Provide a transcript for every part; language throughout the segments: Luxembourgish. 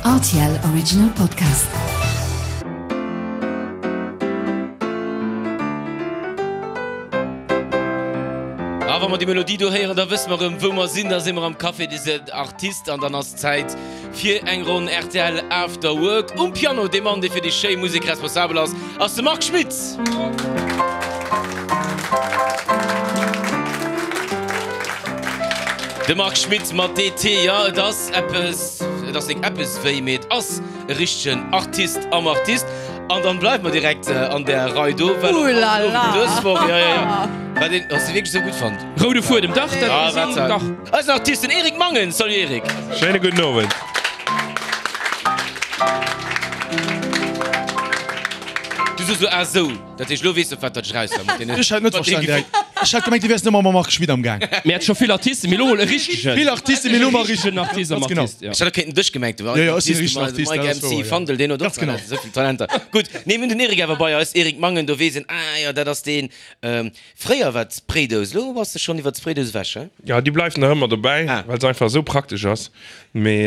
Rtl Original Podcast. A wa mer déi Melodie do héieren, da wësse mer erëm, wou mer sinn. Da si mer am Café des Artistes an dann ass Zäit fir eng Ronn rtl After Work. Um Piano, dee Mann, dee fir déi schéi Musek responsabel ass, ass de Marc Schmitz. De Marc Schmitz mat DT, jo, et ass eppes, et ass nik eppes wéi, mee et ass e richtegen Artist am Artist. An dann bleiwe mer direkt an där Rei do, well och dës Woch, jo, jo, jo, wat een, hues de wierklech esou gutt fonnt? Roude Fuedem, dach, dat ass een, dach. Eisen Artist, den Eric Mangen. Salut Eric. Schéine gudden Owend. Du soos lo ah sou, dat heescht lo weess de op wat dat ech raus war mat deenen. Ech hat net verstanen direkt. Ech hat gemengt, du wäers nëmme mam Marc Schmit am Gaang. Mir hat scho vill Artisten, mee lo mol e richtegen. Vill Artisten, mee lo mol e richtegen Artist am Ganz genau. Artist, ja. Ech hat och kéinten dech gemengt hunn. Jo, jo, ech sinn e richtegen Artist, Artist, Mike dat ass MC wouer, jo. Fandel, deen huet och Ganz genau. esou vill Talenter. Gutt, nee, mir hunn den Eric awer bei eis. Eric Mangen, do weess een, ah jo, dat ass deen. Fréier war d'Spraydous, lo bass de schonn iwwer d'Spraydous ewech, he? Jo, déi bleift nach ëmmer dobäi, Ah. well se einfach esou praktesch ass. Mee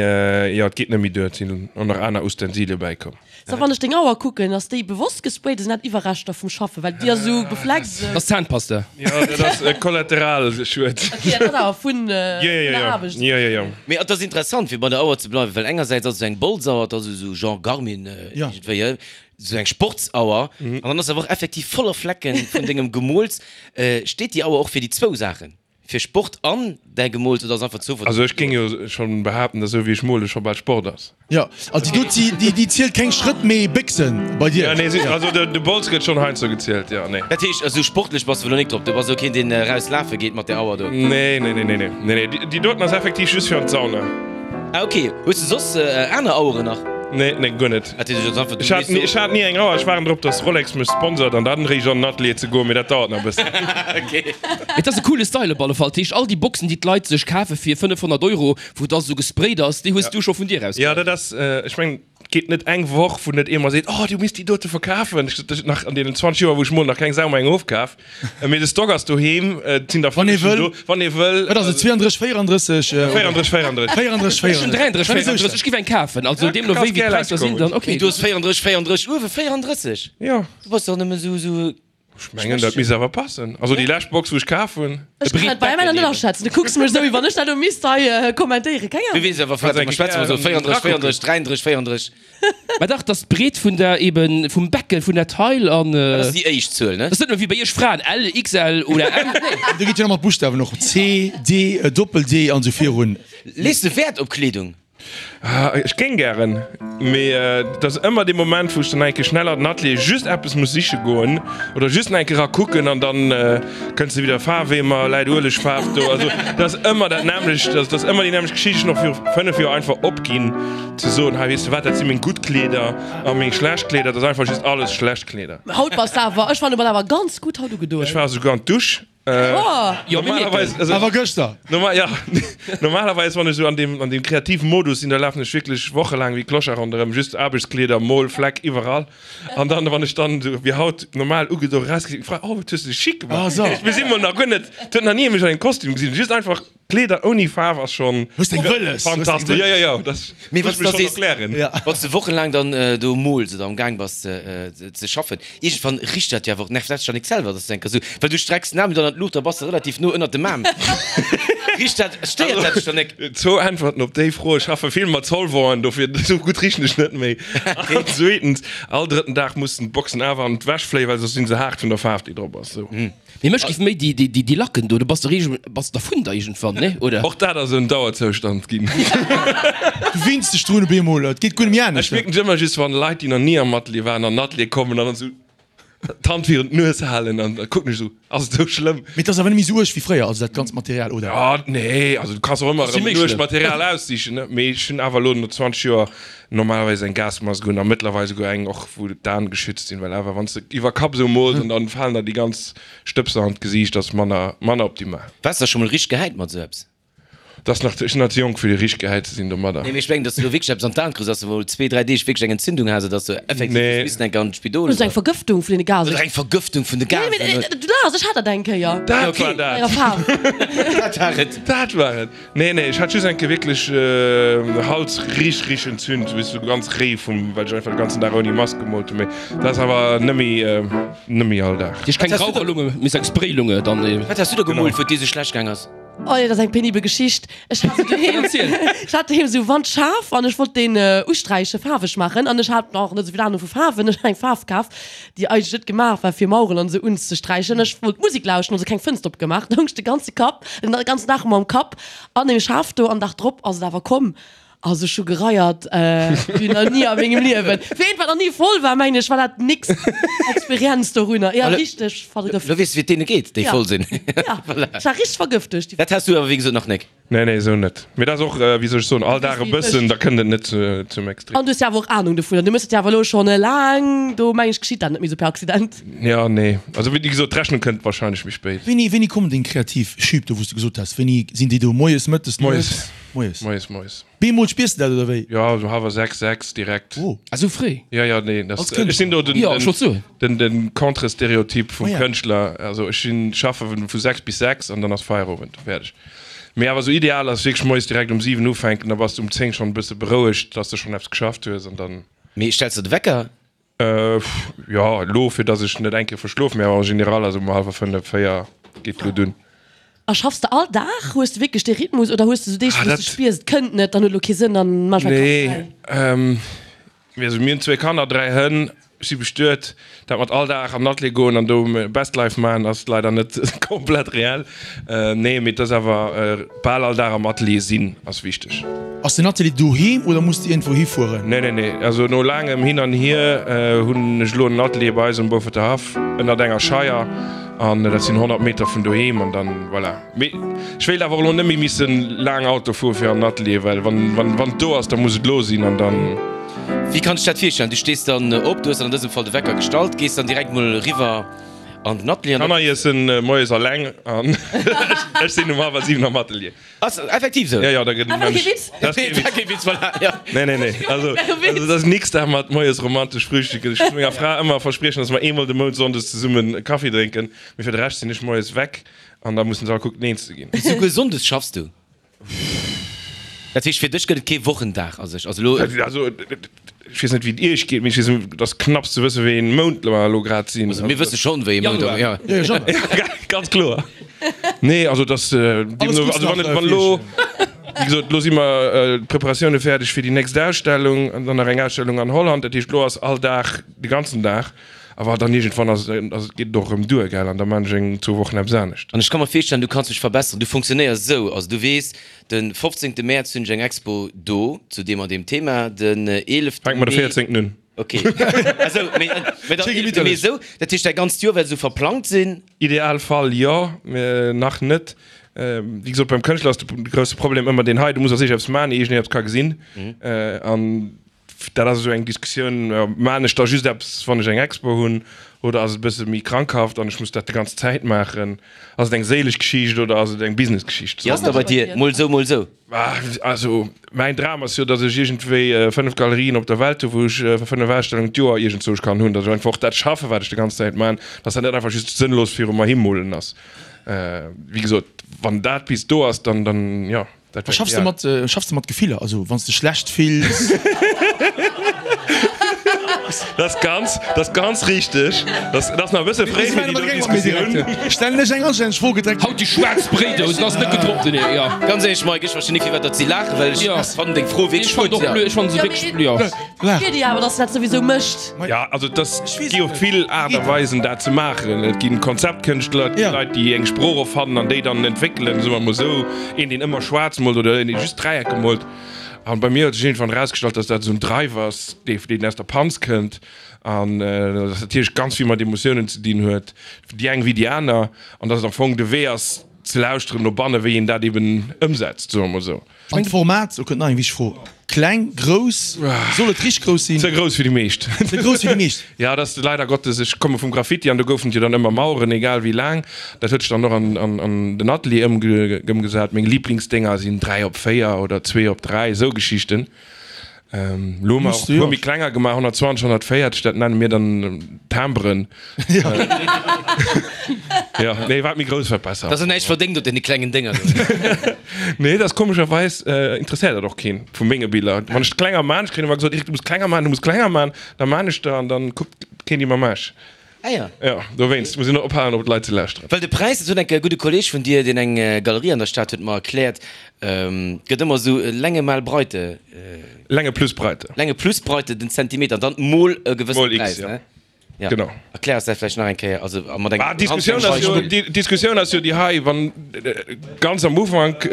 jo, et geet net méi duer, et sinn och nach aner Ustensile bäikomm. So, wann ech deng Auer kucken, ass déi bewosst gesprayt oder sinn dat Iwwerreschter vum Schaffen? Well déi ass esou befleckt. Dat ass Zahnpasta. Jo, dat ass e Kollateralschued. Ok, dat ass awer vun Jo, jo, der jo, Aarbecht. jo, jo, jo. Mee et ass interessant, fir bei der Auer ze bleiwen, well engersäits ass et esou eng Bolzauer, et ass esou Genre Garmin iergendwéi, he? Esou eng Sportsauer, an dann ass se awer och effektiv voller Flecken vun dengem Gemools. Steet déi Auer och fir déi zwou Saachen? Fir Sport an däi Gemools oder ass einfach Zoufall? Also ech géing jo schonn behaapten, dass esou wéi ech mole scho bal Sport ass. Jo, also déi do, déi, déi zielt keng Schrëtt mee Béchsen bei dir. Jo, nee, si, also de, de Bols gëtt schonn heiansdo gezielt, jo, nee. Dat heescht, esou sportlech bass de wuel elo nik drop? Du bass elo keen deen eraus lafe geet mat där Auer do? Nee, nee, nee, nee, nee, nee, nee, déi, déi doten ass effektiv just fir an d'Sauna. Ah ok, hues de soss aner Aueren nach? Nee, nee, guer net. Ech hat, ech hat ni eng Auer. Ech waarden drop, dass Rolex mech sponsort an dann eréischt an den Atelier ze goen, mee dat dauert nach e bëssen. Et ass e coole Style op alle Fall. Dat heescht, all déi Boxen, déi d'Leit sech kafe fir 500 Euro, wou da sou gesprayt ass, déi hues du scho vun dir aus Jo, dat ass, ech mengen, et geet net eng Woch, wou net ee mer seet, Oh, du misst déi dote verkafen. Ech sot, nach an deenen 20 Joer, wou ech molen, nach keng Sau mer eng ofkaf. Mee de Stock ass doheem, et sinn der Wann ee 15 wëll. do, wann ee wëll. Wat ass et, 32, 34? 34, 34. 34, Ech hunn 34. 33, 34, ech giff eng kafen. Also deemno wéi wéi d'Präisser sinn, dann ok. Mee du hues 34, 34, uewe 34? Jo. Du bass dach nëmme sou, sou. Ech mengen, dat misst awer passen. Also déi lescht Box, wou ech kaf hunn. Ech kann dat bei meiner net aschätzen. Du kucks mech esou, wéi wann ech dat elo misst hei kommentéieren. Keng Du Ahnung. weess awer, wat mer schwätzen, esou 34, 34, 33, 34. Mä dach, dass d'Breet vun der, eben vum Becke vun der Taille an. Dat ass déi éischt Zuel, ne? Dat ass net nëmme wéi bei iech Fraen, L, XL oder M, nee. Do geet jo nach mat Buschtawen och, C, D, Doppel D an esou virun. Lees de Wäert op Kleedung? Ech géing gären, mee et ass ëmmer dee Moment, wou ech dann eng Kéier schnell an den Atelier just eppes muss siche goen oder just nach eng Kéier era kucken an dann kënns de wieder Faarweemer, läit Uelegfaarf do. Also dat ass ëmmer dat nämmlecht, dat ass ëmmer déi nämmlecht Geschicht. Ech hunn och viru 5 Joer einfach opginn ze soen, hei weess de wat, dat si meng gutt Kleeder a meng schlecht Kleeder. Dat ass einfach just alles schlecht Kleeder. Haut bass de awer, ech fannen, du bass awer ganz gutt haut ugedoen. Ech war esouguer an d'Dusch. Jo, mir Normalerweis, also, Awer gëschter. Normal, ja, normalerweis, wann ech esou an deem, an deem kreativen Modus sinn, da lafen ech wierklech wochelaang wéi Clochard ronderëm, just Aarbechtskleeder, Mol, Fleck iwwerall. An dann, wann ech dann esou wéi haut normal ugedo erausginn, sinn d'Fraen, Oh, wat hues de dech chic gemaach. Ah, so. Mir sinn mol nach guer net, et huet nach ni ee mech an engem Kostüm gesinn, just einfach Kleeder ouni Faarf ass schon Hues deng Wëlles, hues deng fantastesch. Jo, jo, jo, dat Mee muss wann ech s mech da schon sees, erklären. Ja. wann s de wochenlaang dann do mools oder am Gaang bass ze schaffen, iergendwann richt dat jo awer och, nervt dat dech dann nik selwer, dass du enker sou, well du strecks den Aarm dann an d'Luucht, da bass de relativ no ënnert dem Aarm. Richt dat, stéiert dat dech dann nik? Zwou Äntwerten op déi Fro, Ech schaffe vill mat Solventen, dofir esou gutt richen ech net méi. An zweetens, all drëtten Dag mussen d'Boxen awer an d'Wäsch fléien, well soss sinn se haart vun der Faarf déi drop ass. Sou. Mee mech giff méi déi, déi, déi Lacken do, do bass de reegel, bass de dervun da iergendwann, nee, oder? Och dat ass en Dauerzoustand ginn. Du winns dech drun op eemol, et geet guer net méi Ech anescht. mierken et ëmmer just wann Leit déi nach ni am Atelier waren an den Atelier kommen an dann esou d'Hand virun d'Nues halen an da kucken ech esou, ass et esou schlëmm? Mee et ass awer net méi esou uerg wéi fréier, also dat ganzt Material, oder? Jo, nee, also du kanns och ëmmer Ass erëm méi uergt schlëmm. Material aussichen, ne? Mee ech hunn awer elo no 20 Joer normalerweis eng Gasmask un a mëttlerweil esouguer eng och wou d'Aen geschützt sinn, well awer wann s de iwwer Kapp esou mools an dann falen der déi ganz Stëbser an d'Gesiicht, ass manner manner optimal. Waars de scho mol richteg gehäit mat esou eppes? Dat ass nach, ech sinn nach ze jonk fir richteg gehäit ze sinn domadder. Nee, mee ech mengen, dass du do wierklech eppes an d'Aen kriss, dass du mol zwee, dräi Deeg wierklech eng Entzündung has oder dass du effektiv Nee. hues missen eng Kéier an d'Spidol Oder sou eng Vergëftung vun deene Gasen. Oder eng Vergëftung vun de Nee, mee Gasen. du laachs, ech hat dat eng Kéier. Dat Okay. war dat! Enger Faarf. Dat war et. Dat war et! Nee, nee, ech hat just eng Kéier wierklech Hals richteg, richteg entzünt, weess du, ganz réi vum, well ech einfach de ganzen Dag ouni Mask gemoolt hunn. Mee dat ass awer net méi, net méi all Dag. Dir hutt keng Raucherlunge, mee sou eng Spraylunge dann. Wat has du da gemoolt, wou et dir sou schlecht gaang ass? Oh nee, dat ass eng penibel Geschicht. Ech hat sou doheem, ech hat doheem sou Wandschaf an ech wollt deen usträichen, faarweg maachen an ech hat nach net esou vill Ahnung vu Faarwen. Ech hat eng Faarf kaf, déi eigentlech net gemaach war fir Maueren an esou unzesträichen. Ech wollt Musek lauschten, also keng Fënster opgemaach. Da hung ech de ganze Kapp, den ganzen Dag mam Kapp an deem Schaf do an Dag drop ass et awer komm. Also ech hu gereiert wéi nach ni a mengem Liewen. Fir eent wat nach ni voll war, mengen ech, war dat nix Experienz dorunner. Jo, richteg vergëft. Lo weess de wéi et deene geet, déi voll sinn. Ja, ech war richteg vergëft duerch déi. Dat has du awer wéi gesot nach nek. Nee, nee, esou net. Mee dat ass och, wéi soll ech soen, all Dag e bëssen, da kënnt et net zum Extrem. An du hues jo awer och Ahnung dovunner. Du méchs et jo awer elo schonn laang. Do mengen ech geschitt dat net méi esou per Accident. Jo, nee. Also wéi gesot, d'Rechnung kënnt wahrscheinlech méi spéit. Wéini, wéini kommen deng kreativ Schüb do, wou s de gesot has? Wéini sinn déi do? Moies, mëttes, Moies. Moies. Moies, moies. Bemol spiers de dat oder wéi? Jo, esou hallwer 6, 6 direkt. Oh. Ah, sou fréi? Jo, jo, nee, das, Als Kënschtler? ech sinn do den, Jo, ech wollt soen. den, den Contre-Stereotyp vum Oh ja. Kënschtler. Also ech sinn, schaffe vu 6 bis 6 an dann ass Feierowend, fäerdeg. Mee awer sou ideal ass wierklech moies direkt um 7 ufänken, da bass de um 10 schonn e bësse berouegt, dass de schonn eppes geschafft hues an dann. Mee stells de de Wecker? Jo, elo fir dass ech net eng Kéier verschlof, mee awer en général ass um hallwer 5, 4 geet elo dunn. A schaffs de all Dag? Hues de wierklech dee Rhythmus oder hues de sou Deeg, Ah, wou s de dat. spiers, et kënnt net, dann huet elo kee Sënn, dann maache ech mäi Kapp fräi? Nee, also mir hunn zwee Kanner, 3 Hënn, ech si bestuet. Dat mat all Dag an den Atelier goen an do Best Life maachen ass leider net komplett reell. Nee, mee et ass awer bal all Dag am Atelier sinn ass wichteg. Ass den Atelier doheem oder muss de iergendwou hifueren? Nee, nee, nee. Also no laangem Hin an Hier hunn ech elo en Atelier bei eis um Beauforter Haff ënnert enger Scheier an dat sinn 100 Meter vun doheem an dann voilà. Mee ech wéilt awer och elo net méi missen laang Auto fuere fir an den Atelier, well wann, wann, wann et do ass, da muss et elo sinn an dann. Wéi kann ech dat virstellen? Du stees dann op, du hues dann an dësem Fall de Wecker gestallt, gees dann direkt mol eriwwer an den Atelier an da. Kanner iessen moies alleng an ech sinn um hallwer 7 am Atelier. Ass effektiv esou? Jo, jo, da gëtt Ah, war kee Witz? Dat ass kee Dat war kee Witz, voilà, jo. Nee, nee, nee. Also, also dat ass nix da mat moies romantesch frühstücken. Ech muss menger Fra ëmmer verspriechen, dass mer eemol de Mount sonndes zesummen Kaffi drénken, mee fir de Rescht sinn ech moies weg an da mussen se all kucken eens ze ginn. Souguer sonndes schaffs du? Dat heescht, fir dech gëtt et kee Wochendag a sech? Also elo. Also, ech weess net, wéi et iech geet, mee ech weess, et ass knapps ze wëssen, wéi een Mount mer elo grad sinn. Also mir wësse schonn, wéi ee Mount, Januar. ja. Jo, jo, Januar. Ganz kloer. Nee, also et ass, Alles deemno, Gutts also wann nach, et, wann elo, wéi gesot, elo si mer d'Preparatioune fäerdeg fir déi nächst Ausstellung an dann nach eng Ausstellung an Holland. Dat heescht, elo ass all Dag, de ganzen Dag. Awer dann iergendwann ass et, ass et, geet et och erëm duer, gell, an da maan ech eng zwou Wochen eppes anescht. An ech ka mer virstellen, du kanns dech verbesseren, du funktionéiers esou, also du weess, de 15. Mäerz hunn ech eng Expo do zu deem an deem Thema, den 11. Fänkt mer de Mee, 14. un. ok, esou, mee, mee dann 11. Mee esou, dat heescht däi ganzt Joer wäert esou verplangt sinn? Idealfall jo, mee nach net. Wéi gesot, beim Kënschtler ass de grousse Problem ëmmer deen hei, du muss als éischt eppes maachen, ier iergendeen eppes ka gesinn. An Dat ass esou eng Diskussioun, Maan ech da just eppes, wann ech eng Expo hunn, oder ass et e bësse méi krankhaft an ech muss dat déi ganz Zäit maachen? Ass et eng séileg Geschicht oder ass et eng Businessgeschicht? Wéi ass da bei dir? Mol esou, mol esou? Also mäin Dram ass jo, datt ech iergendwéi 5 Galerien op der Welt hu wou ech 5 Ausstellungen d'Joer iergendzwousch kann hunn, datt ech einfach och dat schaffen, wat ech déi ganz Zäit maan, datt dat net einfach just sënnlos viru mer himolen ass. Wéi gesot, wann dat bis do ass, dann, dann jo. Dat schaffs de mat, schaffs de mat Gefiller? Also wann s de schlecht fills? Dat ass ganz, dat ass ganz richteg. Dat ass nach e bësse fréi fir déi do Diskussioun. Stellen ech eng anstänneg Fro gedreckt. Haut déi schwaarz Bréidous, dat ass net gedroppt, nee, jo. Ganz éierlech Mike, ech verstinn net firwat datt si laachen, well ech fannen deng Fro wierklech gutt. Ech fannen se wierklech, jo. Ech spier déi awer, dass en dat souwisou mécht. Jo, also et ass, gi jo vill Aart a Weisen dat ze maachen. Et ginn Konzeptkënschtler, et gi Leit déi eng Sprooch erfannen an déi dann entwéckelen, soe mer mol esou, een deen ëmmer schwaarz moolt oder een dee just Dräiecke moolt. An bei mir huet sech iergendwann erausgestallt, dass dat esou en Drive ass, dee deen aus der Panz kënnt an dass natierlech ganz vill mat Emotiounen ze dinn huet, déi eng wéi déi aner, an dass et am Fong de Wee ass ze lauschteren no banne wéi een dat eben ëmsetzt, soe mer mol esou. An d'Format, do kënnt nach eng wichteg Fro, kleng, grouss, soll et richteg grouss sinn? Ze grouss fir déi meescht. Ze grouss fir déi meescht. Ja, dat ass leider Gottes, ech komme vum Graffiti an do goufen et jo dann ëmmer Maueren, egal wéi laang. Dat huet sech dann och an den Atelier ëmgesat. Meng Liblingsdénger sinn 3 op 4 oder 2 op 3, esou Geschichten. Elo hu mer och e puer méi klenger gemaach, 120, 140, dat nenne mir dann Timberen. Jo, nee, wat méi grouss, wat besser. Dass se näischt verdéngt op deene klengen Dénger do. Nee, dat ass komescherweis interesséiert dat och keen vu menge Biller. Wann ech klenger maan, ech kréien ëmmer gesot, Eric, du muss klenger maan, du muss klenger maan, da maan ech der an dann kuckt keen déi mer mech. Ah ja. Jo, dowéinst muss een och ophalen op d'Leit ze lauschteren. Well de Präis, dat huet eng Kéier e gudde Kolleg vun dir, deen eng Galerie an der Stad huet, mer erkläert, gëtt ëmmer esou Länge mal Breite. Länge plus Breite. Länge plus Breite, den Zentimeter, dann mol e gewëssene Mol X, Präis, ja. ne? Ja. Genau. Erklär eis dat vläicht nach eng Kéier, also a mat engem Ah, d'Diskussioun ass jo, d'Diskussioun ass jo déi hei, wann ganz am Ufank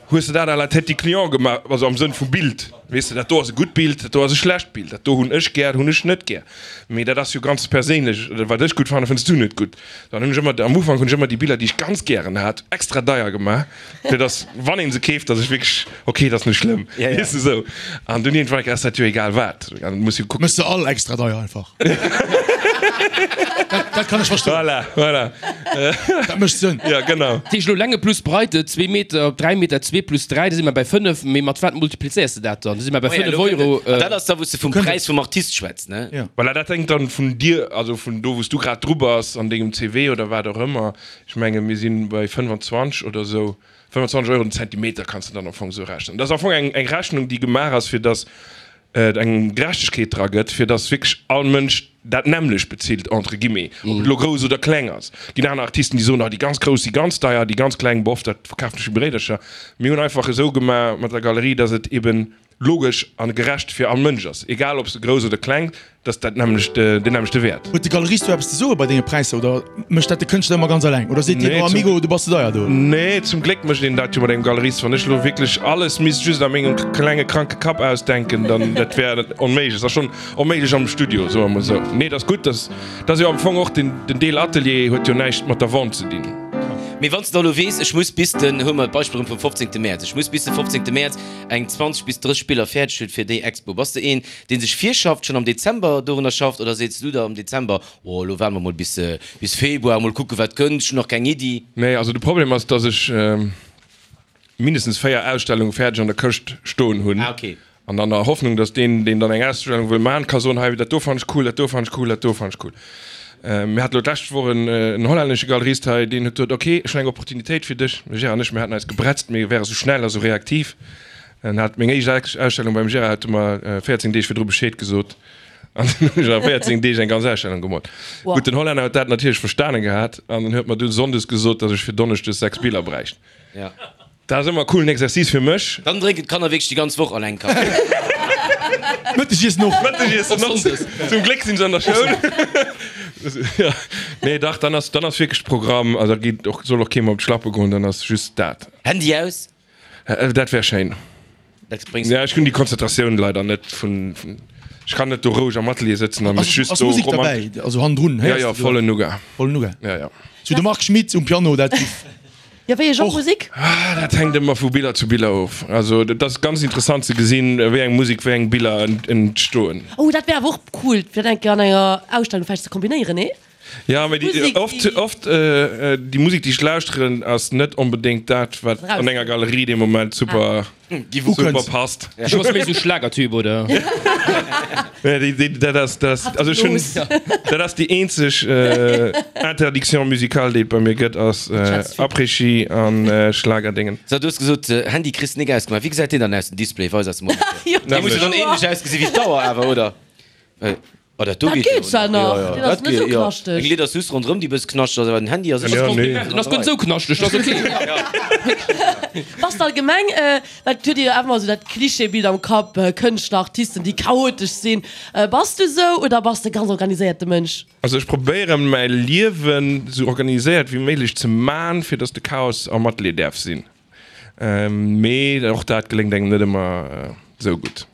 hues de dat à la tête du client gemaach, also am Sënn vum Bild, weess de, dat do ass e gutt Bild, dat do ass e schlecht Bild, dat do hunn ech gär, dat hunn ech net gär. Mee dat ass jo ganz perséinlech, wat ech gutt fannen, fënns du net gutt. Dann hunn ech ëmmer, am Ufank hunn ech ëmmer déi Biller, déi ech ganz gären hat, extra deier gemaach, fir dass, wann ee se keeft, dass ech wierklech, ok, dat ass net schlëmm, weess de esou. An dunn iergendwann ass dat jo egal wat, an muss jo kucken. Méchs de all extra deier einfach. Dat, dat kann ech verstoen. Voilà, voilà. Dat mécht Sënn. Ja, genau. Dat heescht elo Länge plus Breite, zwee Meter op dräi Meter, zwee plus dräi, da si mer bei fënnef. Mee mat wat multiplizéiers de dat dann? Da si mer bei Oh ja, fënnef elo kënnt Euro. et. An dat ass da, wou s de vum Präis vum Artist schwätz, ne? Ja. Voilà, dat hänkt dann vun dir, also vun do, wou s du grad dru bass an dengem CV oder wat och ëmmer. Ech menge mir si bei 25 oder esou, 25 Euro den Zentimeter kanns de dann am Fong esou rechnen. Dat ass am Fong eng, eng Rechnung, déi gemaach ass, fir dass et eng Gerechtegkeet dra gëtt, fir dass wierklech all Mënsch dat nämmlecht bezilt, entre guillemets, ob et elo grouss oder kleng ass. Et ginn aner Artisten, déi soen, ah déi ganz grouss si ganz deier, déi ganz kleng, boff, dat verkafen ech wéi Bréidercher. Mir hunn einfach esou gemaach mat der Galerie, dass et eben logesch a gerecht fir all Mënsch ass, egal ob se grouss oder kleng, dass dat nämmlecht, deen nämmlechte Wäert. Huet de Galerist do eppes ze soe bei denge Präisser oder mécht dat de Kënschtler ëmmer ganz eleng? Oder seet deen, oh Amigo, du bass ze deier do? Nee, zum Gléck mécht een dat jo mat engem Galerist. Wann ech elo wierklech alles misst just a mengem klenge kranke Kapp ausdenken, dann dat wär onméiglech. Et ass schonn onméiglech am Studio, soe mer mol esou. Nee, et ass gutt, dass, dat ass jo am Fong och den, den Deel Atelier huet jo näischt mat der Vente ze dinn. Mee wann s de da elo weess, ech muss bis den, huele mer d'Beispill erëm vum 15. Mäerz, ech muss bis de 15. Mäerz eng 20 bis 30 Biller fäerdeg hunn fir déi Expo, bass de een, deen sech virschafft, schonn am Dezember dorunner schafft, oder seets du der am Dezember, oh elo waarde mer mol bis bis Februar, mol kucke wat kënnt, ech hunn nach keng Iddi? Nee, also de Problem ass, dass ech mindestens 4 Ausstellunge fäerdeg an der Këscht stoen hunn. Ah, okay. An an der Hoffnung, dass deen, deen dann eng Ausstellung wëll maachen, ka soen, hei dat do fannen ech cool, dat do fannen ech cool, dat do fannen ech cool. Mir hate lo d'lescht Woch en hollännesche Galerist hei, deen huet gesot, okay, ech hunn eng Opportunitéit fir dech. De Gérard an ech, mir haten eis gebretzt, mir wäre sou schnell a sou reaktiv. En hat meng éischt Ausstellung beim Gérard, huet e mer 14 Deeg virdru Bescheed gesot an dann hunn ech a 14 Deeg eng ganz Ausstellung gemoolt. Gutt, den Hollänner huet dat natierlech verstane gehat an en huet mer dunn sonndes gesot, datt ech fir donneschdes 6 Biller bräicht. Dat ass ëmmer e coolen Exercice fir mech. Dann drénken d'Kanner wierklech déi ganz Woch alleng Kaffi. Mëttegiessen och. Mëttegiessen och. Zum Gléck sinn se an der Schoul. Nee, dach, dann ass, dann ass wierklech Programm. Also da geet och, soll och kee mer op d'Schlappe goen, dann ass just dat. Handy aus? Dat wär schéin. Dat bréngs Ja, ech hunn déi Konzentratioun leider net vun, ech kann net do roueg am Atelier sëtzen a mech just Ass do Musek romantesch. derbäi? Also hannendrun Ja, héiers ja, de do? vollen Nougat. Vollen Nougat. Ja, ja. Sou de Marc Schmitt um Piano, dat giff Jo, wéi e Genre och. Musek? Ah, dat hänkt ëmmer vu Biller zu Biller of. Also dat ass ganz interessant ze gesinn, wéi eng Musek wéi eng Biller entstoen. Oh, dat wär awer och cool, fir dat eng Kéier an enger Ausstellung vläicht ze kombinéieren, nee? Ja, mee déi, oft, oft déi Musek, déi ech lauschteren, ass net onbedéngt dat, wat an enger Galerie dee Moment super, super passt. Du bass méi esou Schlagertyp, oder? Nee, déi, déi, dat ass, dat ass, also ech hunn, dat ass déi eenzeg Interdiction musicale, déi et bei mir gëtt, ass Après-Ski an Schlagerdéngen. So, du hues gesot, Handy kriss de nik ausgemaach. Wéi gesäit deen dann aus, den Display? Weis eis emol. Dee muss jo dann ähnlech ausgesi wéi d'Auer awer, oder? Oh, dat do Dat geet jo geet zwar nach. nach, Jo, jo, deen ass dat net geet, esou jo. knaschteg. Eng Lidd ass just ronderëm, déi bëss knaschteg ass, awer den Handy ass Ja, nee. Den ass guer net esou knaschteg, dat ass ok. Bass de allgemeng, well et huet ee jo awer ëmmer esou dat Klischeebild am Kapp, Kënschtler, Artisten, déi chaotesch sinn. Bass du esou oder bass de ganz organiséierte Mënsch? Also ech probéieren mäi Liewen esou organiséiert wéi méiglech ze man, fir dass de Chaos am Atelier däerf sinn. Mee och dat geléngt engem net ëmmer esou gutt.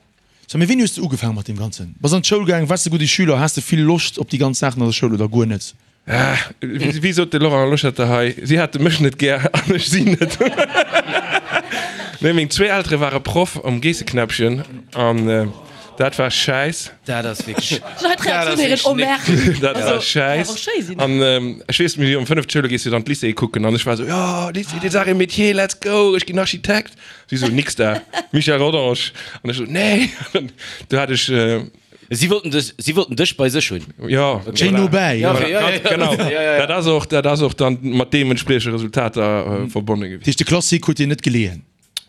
So, mee wéini hues de ugefaangen mat deem Ganzen? Bass an d'Schoul gaang, waars de gudde Schüler, has de vill Loscht op déi ganz Saachen an der Schoul oder guer net? Wéi sot de Laurent Loschetter hei, si hate mech net gär an ech si net. Nee, meng zwee Eltere ware Proff am Geesseknäppchen an dat war schäiss. Dat ass wierklech. Ech hat d'Reaktioun héieren, oh merde. Dat war schäiss. An ech weess, mir si um 5 d'Schoul, da gees du dann d'Lycée kucken an ech war esou, jo, Lycée des Arts et Métiers, let's go, ech ginn Architekt. Si esou, nix da, Michel Rodange. An ech esou, nee. Du hat ech. Si wollten dech, si wollten dech bei sech hunn. Jo, Schéin no bäi. Ja, ja, ja, genau. Dat ass och, dat ass och dann mat deementspriechende Resultater verbonne gewiescht. Dat heescht, de Classique huet dir net geleeën?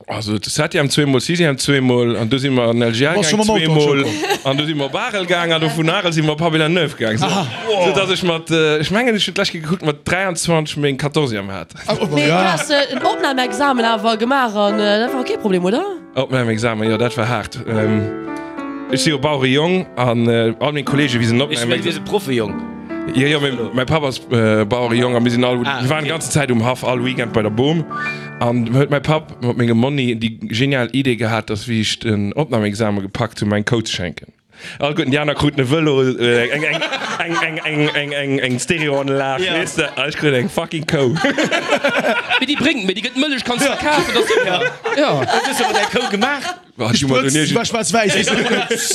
Also de Septième zweemol, Sixième zweemol an du si mer an LGL Bass scho gaang mam Auto an d'Schoul zweemol komm? an du si mer op Arel gaang an du vun Arel si mer op Habillan-Neuve gaang. Sou, sou dass ech mat, ech mengen ech hunn d'lescht Kéier gekuckt, mat 23 meng Quatorzième hat. Mee du has en Opnahmeexamen awer gemaach an dat war kee Problem, oder? Opnahmeexamen, jo dat war haart. Ech si jo Bauerejong an all meng Kollegen, wéi se en Ech mengen, du wiers e Proffejong. Jo, jo, mee mäi Papp ass Bauerejong a mir sinn all, mir waren d'ganze Zäit um Haff, all Weekend bei der Bom. An huet mäi Papp mat mengem Monni déi genial Idee gehat, dass wéi ech den Opnahmeexamen gepackt hunn, mer eng Kou ze schenken. Alleguerten déi aner kruten e Vëlo, eng Stereoanlag, weess de, a ech krut eng fucking Kou. Mee déi bréngt méi, déi gëtt Mëllech, kanns verkafen, dat ass super. Jo. Wat hues de mat där Kou gemaach? Gesprëtzt, war schwaarz-wäiss.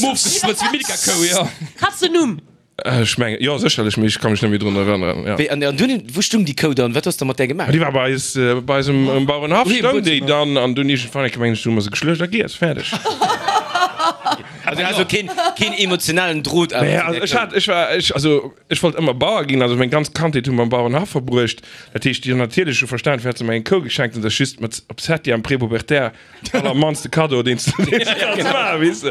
Mof gesprëtzt, wéi Milka-Kou, jo. Hat se en Numm? Ech mengen, jo, sécherlech, mee ech ka mech net méi drun erënneren, jo. Wéi, an dunn, wou stung déi Kou dann? Wat hues de mat där gemaach? Déi war bei eis, bei eis um, um Bauerenhaff stoung déi dann, an dunn iergendwann eng Kéier, mengen ech, hu mer se geschluecht a giess, fäerdeg. Also du has och keen, keen emotionalen Drot awer Nee, zu also där ech Kou? hat, ech war, ech, also ech wollt ëmmer Bauer ginn, also meng ganz Kandheet hu mer um Bauerenhaff verbruecht. Dat heescht, déi hunn natierlech hu verstan, firwat se mer eng Kou geschenkt hunn, dat ass just mat op Septième prépubertaire Allermannste Cadeau, deen s du dir kanns maachen, weess de.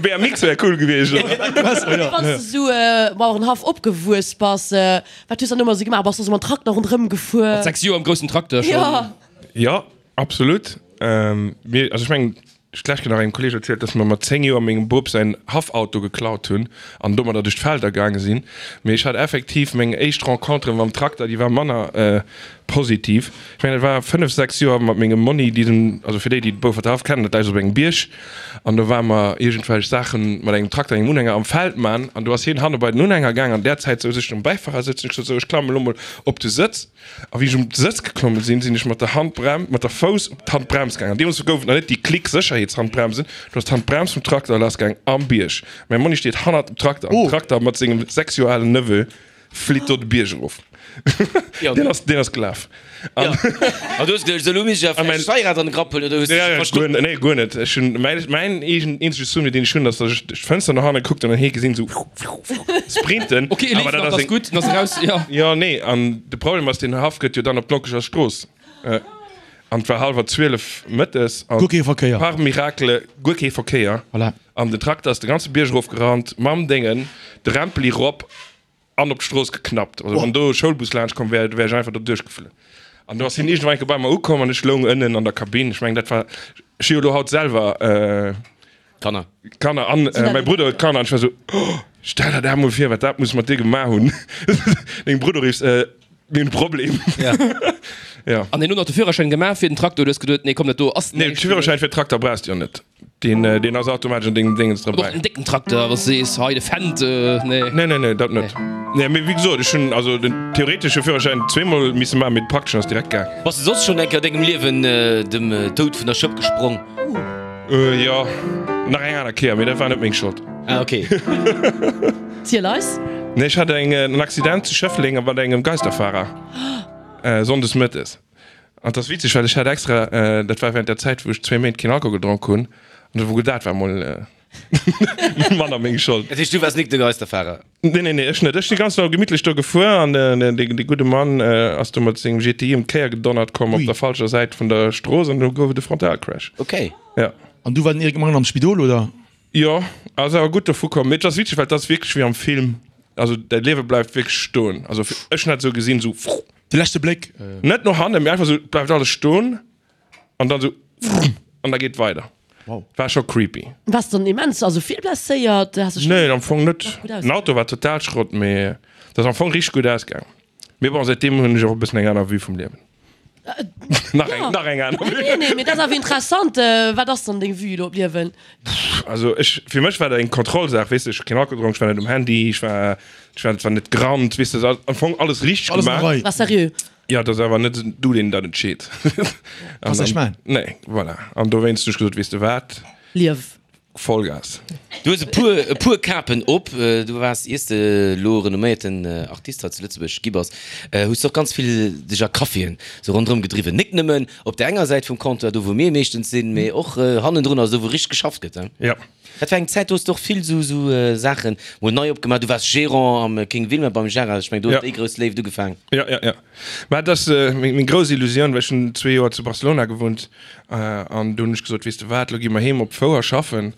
BMX wär cool gewiescht, oder? Wann s de sou Bauerenhaff opgewuess bass, wat hues dann ëmmer sou gemaach? Bass du sou mam Trakter ronderëm gefuer? Mat 6 Joer am groussen Trakter schonn. Jo. Jo, absolut. Mir, also ech mengen, ech d'lescht Kéier nach engem Kolleeg erzielt, dass mer mat 10 Joer mengem Bop säin Haffauto geklaut hunn an domadder duerch d'Felder gaange sinn. Mee ech hat effektiv meng éischt Rencontre mam Trakter, déi war manner Positiv. Ech mengen, et war 5, 6 Joer mat mengem Monni, déi den, also fir déi, déi de Beauforter Haff kennen, dat läit op engem Bierg, an do ware mer iergendwelch Saache mat engem Trakter, engem Unhänger am Feld man, an do ass hien hanne bei den Unhänger gaang, an där Zäit souz ech um Bäifarersëtz, hunn ech gesot, sou, ech klammen elo mol op de Sëtz, a wéi ech um Sëtz geklomme sinn, sinn ech mat der Handbrem, mat der Fouss op d'Handbrems gaang, an deemools gouf et nach net déi Klick-Sécherheetshandbremsen, do ass d'Handbrems vum Trakter lassgaang am Bierg. Mäi Monni steet hannert dem Trakter, an den Trakter mat sengem 6 Joer alen Neveu Flitt do de Bierg erof. Deen ass, deen ass gelaf. An du hues geduecht, elo misst ech awer vläicht d'Steierrad an de Grapp huelen, oder hues du dech verstoppt? Nee, guer net. Ech hunn, mäin, mäin eegen eenzege Souvenir, deen ech hunn, ass, datt ech duerch d'Fënster no hanne gekuckt hunn an hie gesinn esou sprinten. Ok, e leeft nach, dat ass gutt, dann ass e raus, jo. Jo, nee, an de Problem ass, deen Haff gëtt jo dann op d'Lockeger Strooss. An et war hallwer 12 mëttes an Guer kee Verkéier. par miracle guer kee Verkéier. Voilà. An den Trakter ass de ganze Bierg erof gerannt, mam Déngen, de Rempeli rop an op d'Strooss geknappt. Also wann do e Schoulbus laanscht komm wär, wär ech einfach do duerchgeflunn. An do ass hien iergendwann eng Kéier bei mer ukomm an ech loung ënnen an der Kabinn. Ech mengen, dat war, ech hu jo elo haut selwer Kanner. Kanner an mäi Brudder huet Kanner an ech war esou, oh, stell der dat mol vir, wat dat muss mat dir gemaach hunn. Dengem Brudder riffs, Mir hunn e Problem. Ja. An hien huet nach de Führerschäin gemaach fir den Traktor, du hues geduet, nee komm, dat do ass Nee, de Führerschäin fir Trakter brauchs de jo net. Deen, deen ass automatesch an dengem Déngens Och drabäi. en décken Trakter, wann s de sees, hei de Fendt, nee. Nee, nee, nee, dat net. Nee, mee wéi gesot, ech hunn also den theoretesche Führerschäin zweemol misse maachen, mee de prakteschen ass direkt gaang. Bass de soss schonn eng Kéier a dengem Liewen dem Doud vun der Schëpp gesprong? Jo, nach eng aner Kéier, mee dat war net meng Schold. Ah, okay. Ziel eis. Nee, ech hat eng en Accident zu Schëffleng mat engem Geisterfahrer, sonndes mëttes. An 't ass witzeg, well ech hat extra, dat war während der Zäit, wou ech zwéi Méint keen Alkohol gedronk hunn, an do wor dat war mol manner meng Schold. Dat heescht, du waars nik de Geisterfahrer? Nee, nee, nee, ech net. Ech si ganz normal gemittlech do gefuer an dee gudde Mann ass do mat sengem GTI ëm d'Kéier gedonnert komm op der falscher Säit vun der Strooss an do gouf et e Frontalcrash. Okay. Ja. An du war den Eric Mangen am Spidol, oder? Jo, ass awer gutt dovu komm. Mee et ass witzeg, well et ass wierklech wéi am Film. Also däi Liewe bleift wierklech stoen. Also ech hunn dat esou gesinn, esou. De leschte Bléck. Net no hannen, mee einfach esou, et bleift alles stoen an dann esou an da geet et weider. Wow. War scho creepy. Waars dann immens, also vill blesséiert? Has dech Nee, am Fong net. nach gutt Den Auto war total Schrott, mee et ass am Fong richteg gutt ausgaang. Mee bon, säitdeem hunn ech och e bëssen eng aner Vue vum Liewen. Nach eng, nach eng aner Vue. Nee, nee, mee dat ass awer interessant. Wat ass dann deng Vue elo op d'Liewen? Also ech, fir mech war dat eng Kontrollsaach, weess de, ech hu keen Alkohol gedronk, ech war net um Handy, ech war, ech war zwar net gerannt, weess de, am Fong alles richteg Alles an der gemaach. Rei. War seriö. Jo, et ass awer net du, deen dat entscheet. Weess ech mein. Nee, voilà. An dowéinst hu ech gesot, weess de wat? Liew. Vollgas. Du hues e puer, e puer Kapen op. Du waars, iers de elo renomméierten Artist hei zu Lëtzebuerg gi bass, hues de och ganz vill dech a Caféen sou ronderëm gedriwwen. Nik nëmmen op der enger Säit vum Comptoir, do wou mir meeschtens sinn, mee och hannendrun, also do wou richteg geschafft gëtt. Jo. Dat war eng Zäit, do hues de och vill sou, sou Saachen mol nei opgemaach. Du waars Gérant am King Wilma beim Gérard. Ech mengen, do huet déi grouss Léift ugefaang. Jo, jo, jo. Mä et ass meng grouss Illusioun, well ech hunn zwee Joer zu Barcelona gewunnt an do hunn ech gesot, weess de wat, elo gi mer heem op d'Fouer schaffen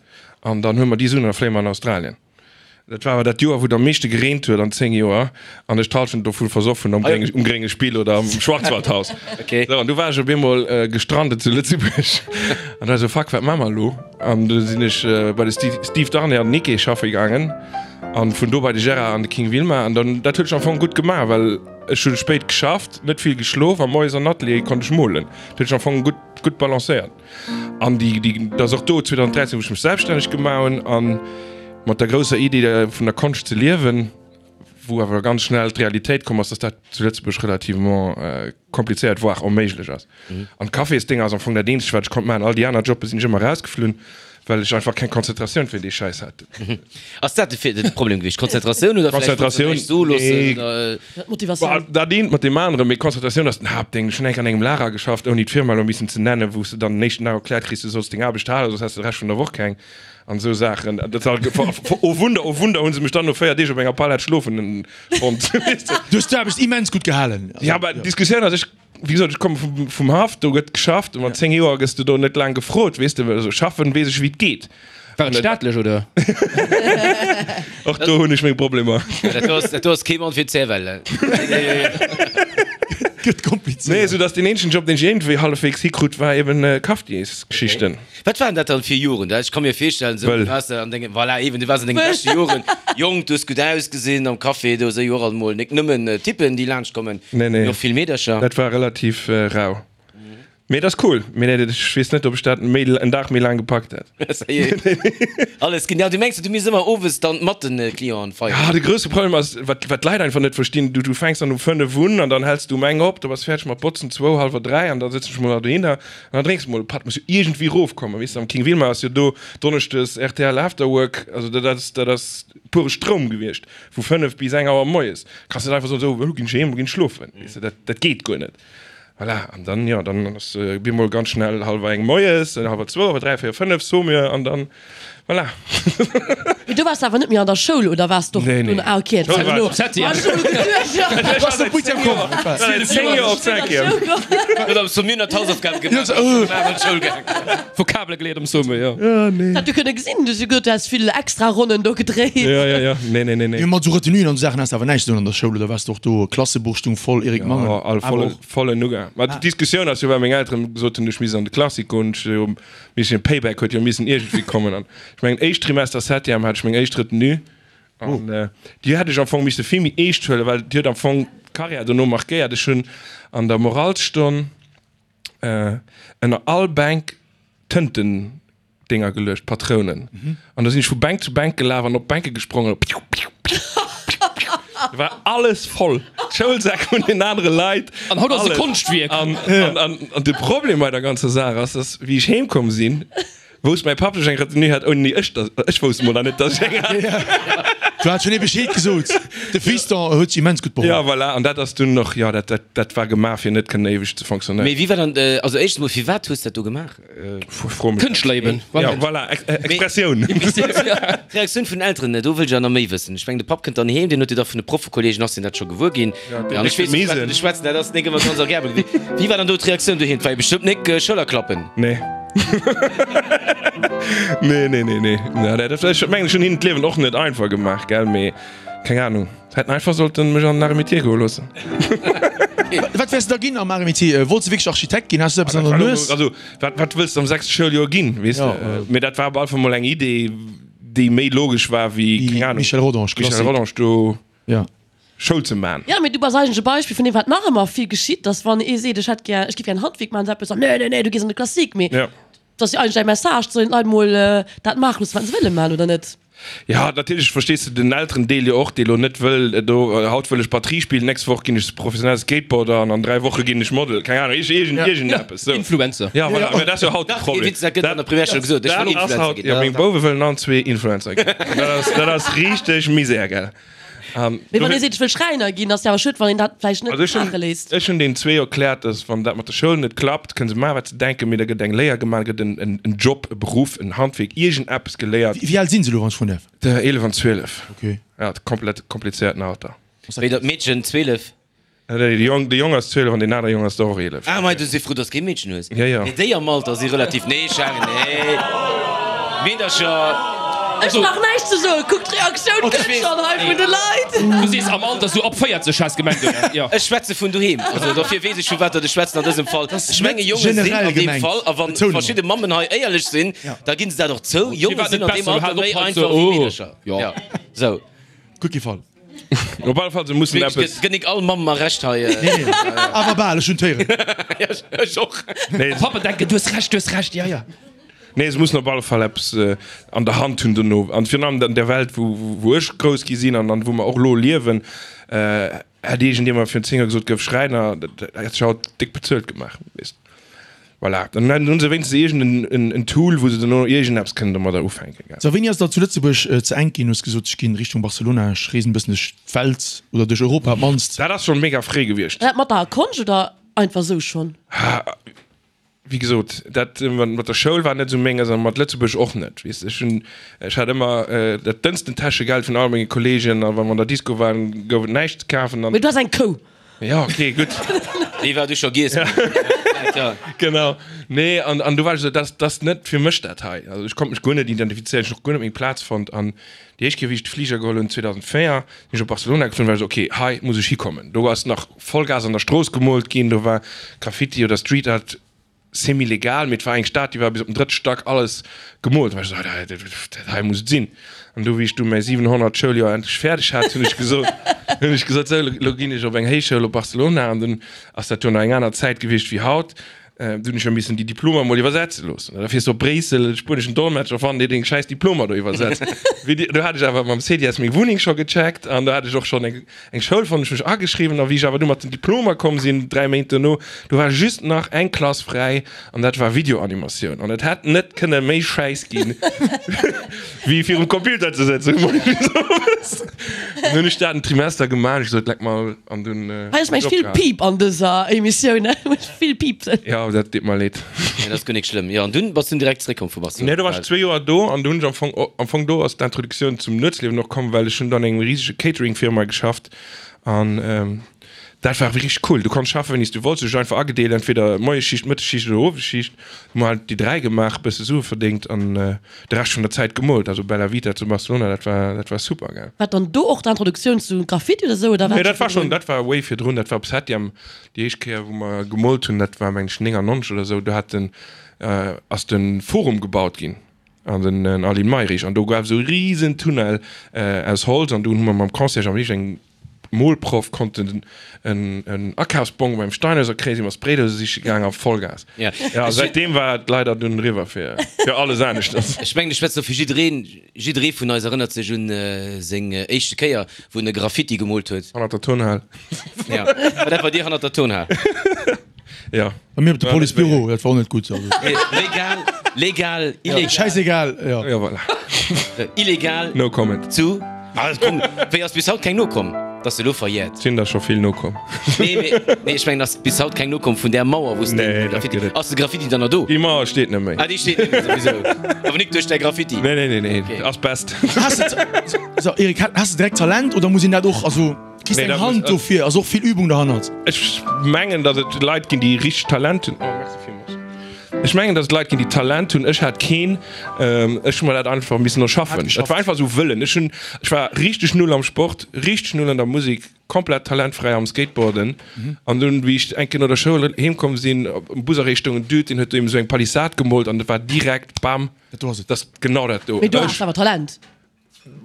an dann huele mer déi Suen an da fléie mer an Australien. Dat war awer dat Joer, wou et am meeschte gereent huet an 10 Joer an ech d'Hallschent dovu versoff hunn am um Grénge Spill oder am Schwarzwaldhaus. Sou, an du war ech op eemol gestrandet zu Lëtzebuerg an da sou, fuck, wat maache mer elo? An du sinn ech bei de Steve Darnay an den Nikkei schaffe gaangen an vun do bei de Gérard an de King Wilma an dann, dat huet sech am Fong gutt gemaach, well ech hu spéit geschafft, net vill geschlof a moies an Atelier konnt ech molen. Dat huet sech am Fong gutt, gutt balancéiert. An déi, déi, dat ass och do 2013, wou ech mech selbststänneg gemaach hunn an mat der grousser Iddi vun der Konscht ze liewen, wou awer ganz schnell d'Realitéit komm ass, dass dat zu Lëtzebuerg relativement komplizéiert, voire onméiglech ass. An d'Cafésdéng ass am Fong dat eenzegt, wat ech konnt maachen. All déi aner Jobbe sinn ech ëmmer erausgeflunn, well ech einfach keng Konzentratioun fir dee Schäiss hat. Ass dat de Problem gewiescht? Konzentratioun oder vläicht wollts de näischt soe loossen oder? D'Motivatioun. Dat eent mat deem aneren, mee Konzentratioun ass den Haaptdéng. Ech hunn enk an engem Lager geschafft, ouni d'Firma elo missen ze nennen, wou s de dann den éischten Dag erkläert kriss, du solls deng Aarbecht halen, soss häss de de Rescht vun der Woch keng an esou Saachen. Dat war, oh Wunder, oh Wunder, hu se mech dann no 4 Deeg op enger Palett schlofen fonnt. Du hues d'Aarbecht immens gutt gehalen. Ja, mä d'Diskussioun ass, ech, wéi gesot, ech komme vum, vum Haff, do gëtt geschafft, a mat 10 Joer gëss de do net laang gefrot, weess de, well esou schaffen weess ech, wéi et geet. War et staatlech, oder? Och do hunn ech meng Problemer. Dat do ass, dat do ass kee Mann fir d'Zerwelle. Gëtt komplizéiert. Nee, esou datt deen eenzegen Job, deen ech iergendwéi hallefweegs hikrut, war eben Cafetiers-Geschichten. Wat waren dat dann fir Joren? Ech ka mir virstellen, esou, du waars an denge, voilà, eben, du waars an denge beschte Joren, jonk, du hues gutt ausgesinn, am Café, do si jo och alt mol nik nëmmen Typen, déi laanscht kommen, Nee, nee. mee och vill Meedercher. Dat war relativ rau. Mee et ass cool. Mee nee, ech weess net, ob ech dat méi, en Dag méi laang gepackt hätt. Alles genial. Du mengs, du misst ëmmer owes dann mat den Clienten feieren? Ja, de grousse Problem ass, wat, wat d'Leit einfach net verstinn, du, du fänks dann um 5 un an dann häls du um eng op, da bass fäerdeg mat botzen, zwou, hallwer 3 an da sëtzen ech mol nach dohinner an dann drénks de mol e Patt, muss jo iergendwéi rofkommen, weess de. Am King Wilma ass jo do donneschdes rtl Afterwork, also dat ass, dat ass pure Stroum gewiescht, vu 5 bis eng Auer moies. Kanns net einfach soen, sou, elo ginn ech heem, elo ginn ech schlofen, weess de, dat, dat geet guer net. Voilà, an dann, jo, dann ass bemol ganz schnell hallwer eng moies, hallwer zwou, hallwer dräi, véier, fënnef, Saumur, an dann, voilà. Mee du waars awer net méi an der Schoul, oder waars d'och Nee, nee. dunn? Ah, okay, Schoul war elo. ech. Septième. Ah, ech hu geduecht, jo. Ech war seit 10 Joer, seit 10 Joer op Cinquième. Huet am Saumur nach d'Hausaufgabe gemaach, ass an d'Schoul gaangen. Vokabele geléiert am Saumur, jo. Ah, nee. Dat du kënne gesinn, du hues jo gesot, du häss vill extra Ronnen do gedréit. Jo, jo, jo, nee, nee, nee, nee. Jo, mat sou Retenuen an sou Saachen has de awer näischt ze doen an der Schoul, oder waars de och do Klassebuch stung voll, Eric Mangen? Jo, all Awer volle, och. volle Nougat. Ma d'Diskussioun ass jo, well meng Elteren gesot hunn, ech misst an de Classique goen, ech hu missen, Payback huet jo missen iergendwéi kommen. An ech mengen, éischt Trimester Septième hat ech meng éischt Retenue. An déi hätt ech am Fong misse vill méi eescht huelen, well déi huet am Fong d'Carrière dono markéiert. Ech hunn an der Moralsstonn ënner all Bänk Tëntendinger geluecht, Patrounen. An da sinn ech vu Bänk zu Bänk gelaf an op d'Bänke gesprongen. Piu, piu, piu, piu, piu. Da war alles voll. D'Schoulsäck vun den anere Leit. An haut ass et e Alles. Konschtwierk. An, an, an, an de Problem bei der ganzer Saach ass, dass, wéi ech heemkomm sinn, Wousst mäi Papp, dass ech eng Retenue hat, ouni ech dass, ech wousst mol nach net, dass ech eng hat. Du hat schon ee Bescheed gesot, de Fiston huet sech immens gutt beholl. Jo, voilà, an dat ass dunn och, jo, dat, dat, dat war gemaach, fir net kënnen éiweg ze fonctionnéieren. Mee wéi war dann, also éischtens mol, firwat hues dat do gemaach? Fro mech net. Kënschtler eben, Jo, voilà, Expressioun. D'Reaktioun vun den Elteren, do wëll ech awer nach méi wëssen. Ech mengen, de Papp kënnt dann heem, deen huet jo da vun de Proffekollegen, ass deen dat scho gewuer ginn? An ech weess, vu wat ech schwätzen, dat ass nik ëmmer ganz agreabel gewiescht. Wéi war dann do d'Reaktioun doheem? 't war jo bestëmmt nik Schëllerklappen. Nee. Nee, nee, nee, nee. Ja, dat, ech mengen, ech hunn hinnen d'Liewen och net einfach gemaach, gell, mee keng Ahnung. Hätten einfach sollten mech an den Arts et Métiers goe loossen. Wat wäers de da ginn am Arts et Métiers? Wollts de wierklech Architekt ginn? Has du eppes an der Nues? Also, wat, wat wëlls de am sechste Schouljoer ginn, weess de? Mee dat war op alle Fall mol eng Idee, déi méi logesch war wéi, keng Ahnung. Michel Rodange, Michel Klassik. Rodange do. Ja. Schoul ze man. Jo, mee du bass eigentlech e Beispill vun deem, wat nach ëmmer vill geschitt, dass wann ee seet, ech hätt gär, ech giff gär en Handwierk maachen, esou eppes, dann, nee, nee, nee, du gees an de Classique. Mee Ja. dat ass jo eigentlech däi Message, sollen d'Leit mol dat maache loossen, wat se wëlle maachen, oder net? Ja, natierlech verstees de den Elterendeel jo och, dee lo net wëll do, haut wëll ech Batterie spillen, d'nächst Woch ginn ech professionelle Skateboarder an an 3 Woche ginn ech Model, keng Ahnung, iergend, iergendeppes sou. Influencer. Ja, voilà, mä dat ass jo haut de Dach, Problem. Witz, dat gëtt an der Primärschoul gesot, ech wëll Dat ass Influencer haut, ginn. jo, meng Bouwe wëllen allen zwee Influencer ginn. Dat ass, dat ass richteg Misär, gell. Mee wann ee seet, ech wëll Schräiner ginn, ass jo awer schued, wann een dat vläicht net Also ech maache hunn, léisst. ech hunn deenen zwee erkläert, dass wann dat mat der Schoul net klappt, kënne se maachen, wat se denken, mee da gëtt eng Léier gemaach, da gëtt en, en, en Job, e Beruff, en Handwierk, iergendeppes geléiert. Wéi al sinn se elo, wann ech froen däerf? 11 an 12. Okay. Ja, komplett komplizéierten Alter. Wéi dat Meedchen 12? De Jong, de Jong ass 12 an deen anere Jong ass der och 11. Ah, mei, du si frou, dass kee Meedchen hues. Ja, ja. Nee, déi am Alter si relativ, nee, Sharon, nee. Meedercher. Ech brauch näischt ze soen, kuck d'Reaktioun kënnt schonn hei vun de Leit. Du sees am Alter sou ab 40 has gemengt, oder? Jo. Ech schwätze vun doheem, also dofir weess ech vu wat datt ech schwätzen an dësem Fall. Ech menge Jonge sinn an deem Fall, a wa verschidde Mammen hei éierlech sinn, da ginn se dat och zou, Jonge sinn an deem Alter méi einfach wéi Meedercher. Jo, sou. Gutt gefall. Op alle Fall, se mussen eppes. Gëtt nik all Mamm mer Recht hei. Nee, nee, awer bal, ech hunn d'Héieren. Ech och. Nee, Pappe denken, du hues Recht, du hues Recht, ja, ja. Nee, se mussen op alle Fall eppes an der Hand hunn dono. An virun allem an der Welt, wou, wou ech grouss gi sinn an an wou mer och elo liewen, hätt iergendjemand virun 10 Joer gesot, gëff Schräiner, dat hätt sech haut déck bezuelt gemaach, weess. Voilà, dann hunn se wéinstens iergend en Tool, wou se dono iergendeppes kënnen domadder ufänken, gell. So, wéini ass et der zu Lëtzebuerg ze enk ginn? Hues gesot, ech ginn Richtung Barcelona, ech reesen e bëssen duerch d'Welt oder duerch Europa op d'mannst. Dat ass schonn mega fréi gewiescht. War dat mat der Konscht oder einfach sou schonn? Wéi gesot, dat mat der Schoul war net esou menges a mat Lëtzebuerg och net, weess de. Ech hunn, ech hat ëmmer dat dënnsten Täschegeld vun all menge Kolleegen a wa mer an der Disco waren, gouf et näischt ze kafen an. Mee du has eng Kou. Ja, okay, gutt. Déi war du scho giess. Ja. Genau. Nee, an, an du war ech esou, dat, dat ass net fir mech dat hei. Also ech konnt mech guer net identifizéieren, ech hunn och guer net meng Plaz fonnt. An déi éischt Kéier, wéi ech de Fliger geholl hunn, 2004, sinn ech op Barcelona geflunn, war ech esou, okay, hei muss ech hikommen. Do ass nach Vollgas an der Strooss gemoolt ginn, do war Graffiti oder Street Art semi-legal, mee et war eng Stad, déi war bis op den drëtte Stack alles gemoolt. Da war ech esou, dat, dat hei muss et sinn. An du, wéi ech du mäi 700. Schouljoer endlech fäerdeg hat, hunn ech gesot, hunn ech gesot, sou, elo ginn ech op eng Héichschoul op Barcelona. An dunn ass dat jo nach eng aner Zäit gewiescht wéi haut. Du hunn ech jo missen déi Diplomer emol iwwersetze loossen. Da fiers du op Bréissel, e spueneschen Dolmetscher fannen, dee deng schäiss Diplomer do iwwersetzt. Wéi déi, do hat ech awer mam CDS meng Wunneng scho gecheckt an do hat ech och schonn eng, Eng Schoul fonnt, ech mech ageschriwwen a wéi ech awer du mat den Diplomer komm sinn, 3 Méint dono, do war just nach eng Klass fräi an dat war Videoanimatioun an et hätt net kënne méi schäiss ginn, wéi virum Computer ze sëtzen, owes. An hunn ech dat en Trimester gemaach, ech gesot, leck mer an dunn. Hei ass mengt vill Piip an dëser Emissioun, vill Piipsen. Jo, dat deet mer leed. Nee, dat ass guer nik schlëmm. Jo, an dunn bass du direkt zeréckkomm vu Barcelona? Nee, do war ech zwee Joer do an do hunn ech am Fong, am Fong do ass d'Introduktioun zum Nuetsliewen och komm, well ech hunn do an engem risege Catering-Firma geschafft an dat war richteg cool. Du konns schaffen, wéini s du wollts, du hues dech einfach agedeelt, entweder Moiesschicht, Mëttesschicht oder Owesschicht. Hu mer halt déi 3 gemaach, bësse Sue verdéngt an de Rescht vun der Zäit gemoolt. Also Bella Vita zu Barcelona, dat war, dat war super, gell. War dann do och d'Introduktioun zu Graffiti oder sou, oder war Nee, dat war scho schonn, dat war way virdrun, dat war op Septième. Déi éischt Kéier wou mer gemoolt hunn, dat war meng ech 99 oder esou, do hat den, ass de Forum gebaut ginn an den Aline Mayrisch an do gouf esou e risen Tunnel aus Holz an do hu mer mam Concierge am Licht engem Molproff konnten en Akafsbong beim Steinhäuser kréien, si mer Spraydose siche gaang a Vollgas. Ja. Ja, säitdeem war et leider dunn eriwwer fir alles aneschters. Ech mengen, ech schwätzen do fir jiddereen. Jidderee vun eis erënnert sech un seng éischte Kéier, wou en e Graffiti gemoolt huet. Hannert der Turnhal. Ja, war dat bei dir hannert der Turnhal? Ja. Bei mir op de Policebüro, dat war och net gutt. Also. Legal, legal, illegal. Schäissegal, ja. Ja, voilà. Illegal. No comment. Zu. Ah, komm, wéi ass bis haut keng nokomm? Dass de lo verjährt. Sinn der scho vill nokomm. Nee, mee, nee, ech mengen, ass bis haut keng nokomm vun där Mauer, wou s de Nee, dat Graffiti. gëtt et. Ass de Graffiti dann nach do? Déi Mauer steet net méi. Ah, déi steet net méi, souwisou. Awer nik duerch däi Graffiti. Nee, nee, nee, nee, Okay. ass best. Has de, so, Eric, has de direkt Talent oder muss een dat och, also, kriss Nee, eng dat Hand muss- dofir, ass och vill Übung derhannert? Ech mengen, datt et Leit ginn, déi richteg Talent hunn. Oh, merci villmools. Ech mengen, datt et Leit ginn, déi Talent hunn. Ech hat keen. Ech hu mer dat einfach missen erschaffen. Et war einfach esou Wëllen. Ech hunn, ech war richteg null am Sport, richteg null an der Musek, komplett talentfräi am Skateboarden. An dunn, wéi ech eng Kéier no der Schoul heem komm sinn, um Busarrêt stoung en Dude, deen huet do eben esou eng Palissade gemoolt an et war direkt, bam, Dat do ass et. dat ass genau dat do. Mee du has awer Talent.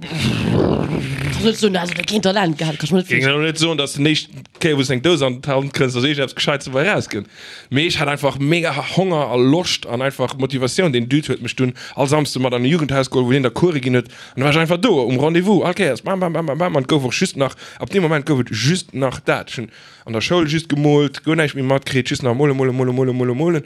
Kannst net soen, also keen Talent gehat, kann ech mer net Géing virstellen. elo net soen, dass den éischten Kéier wou s eng Dous an d'Hand krëss, dass iergendeppes Gescheites dobäi erauskënnt. Mee ech hat einfach mega Honger a Loscht an einfach Motivatioun. Deen Dude huet mech dunn all Samsde mat an e Jugendhaus geholl, wou hien da Coure ginn huet. An da war ech einfach do um Rendez-vous, all Kéiers bam, bam, bam, bam, bam. An et gouf och just nach, ab deem Moment gouf et just nach dat. Ech hunn an der Schoul just gemoolt, guer näischt méi matkritt, just nach mole, mole, mole, mole, mole, molen,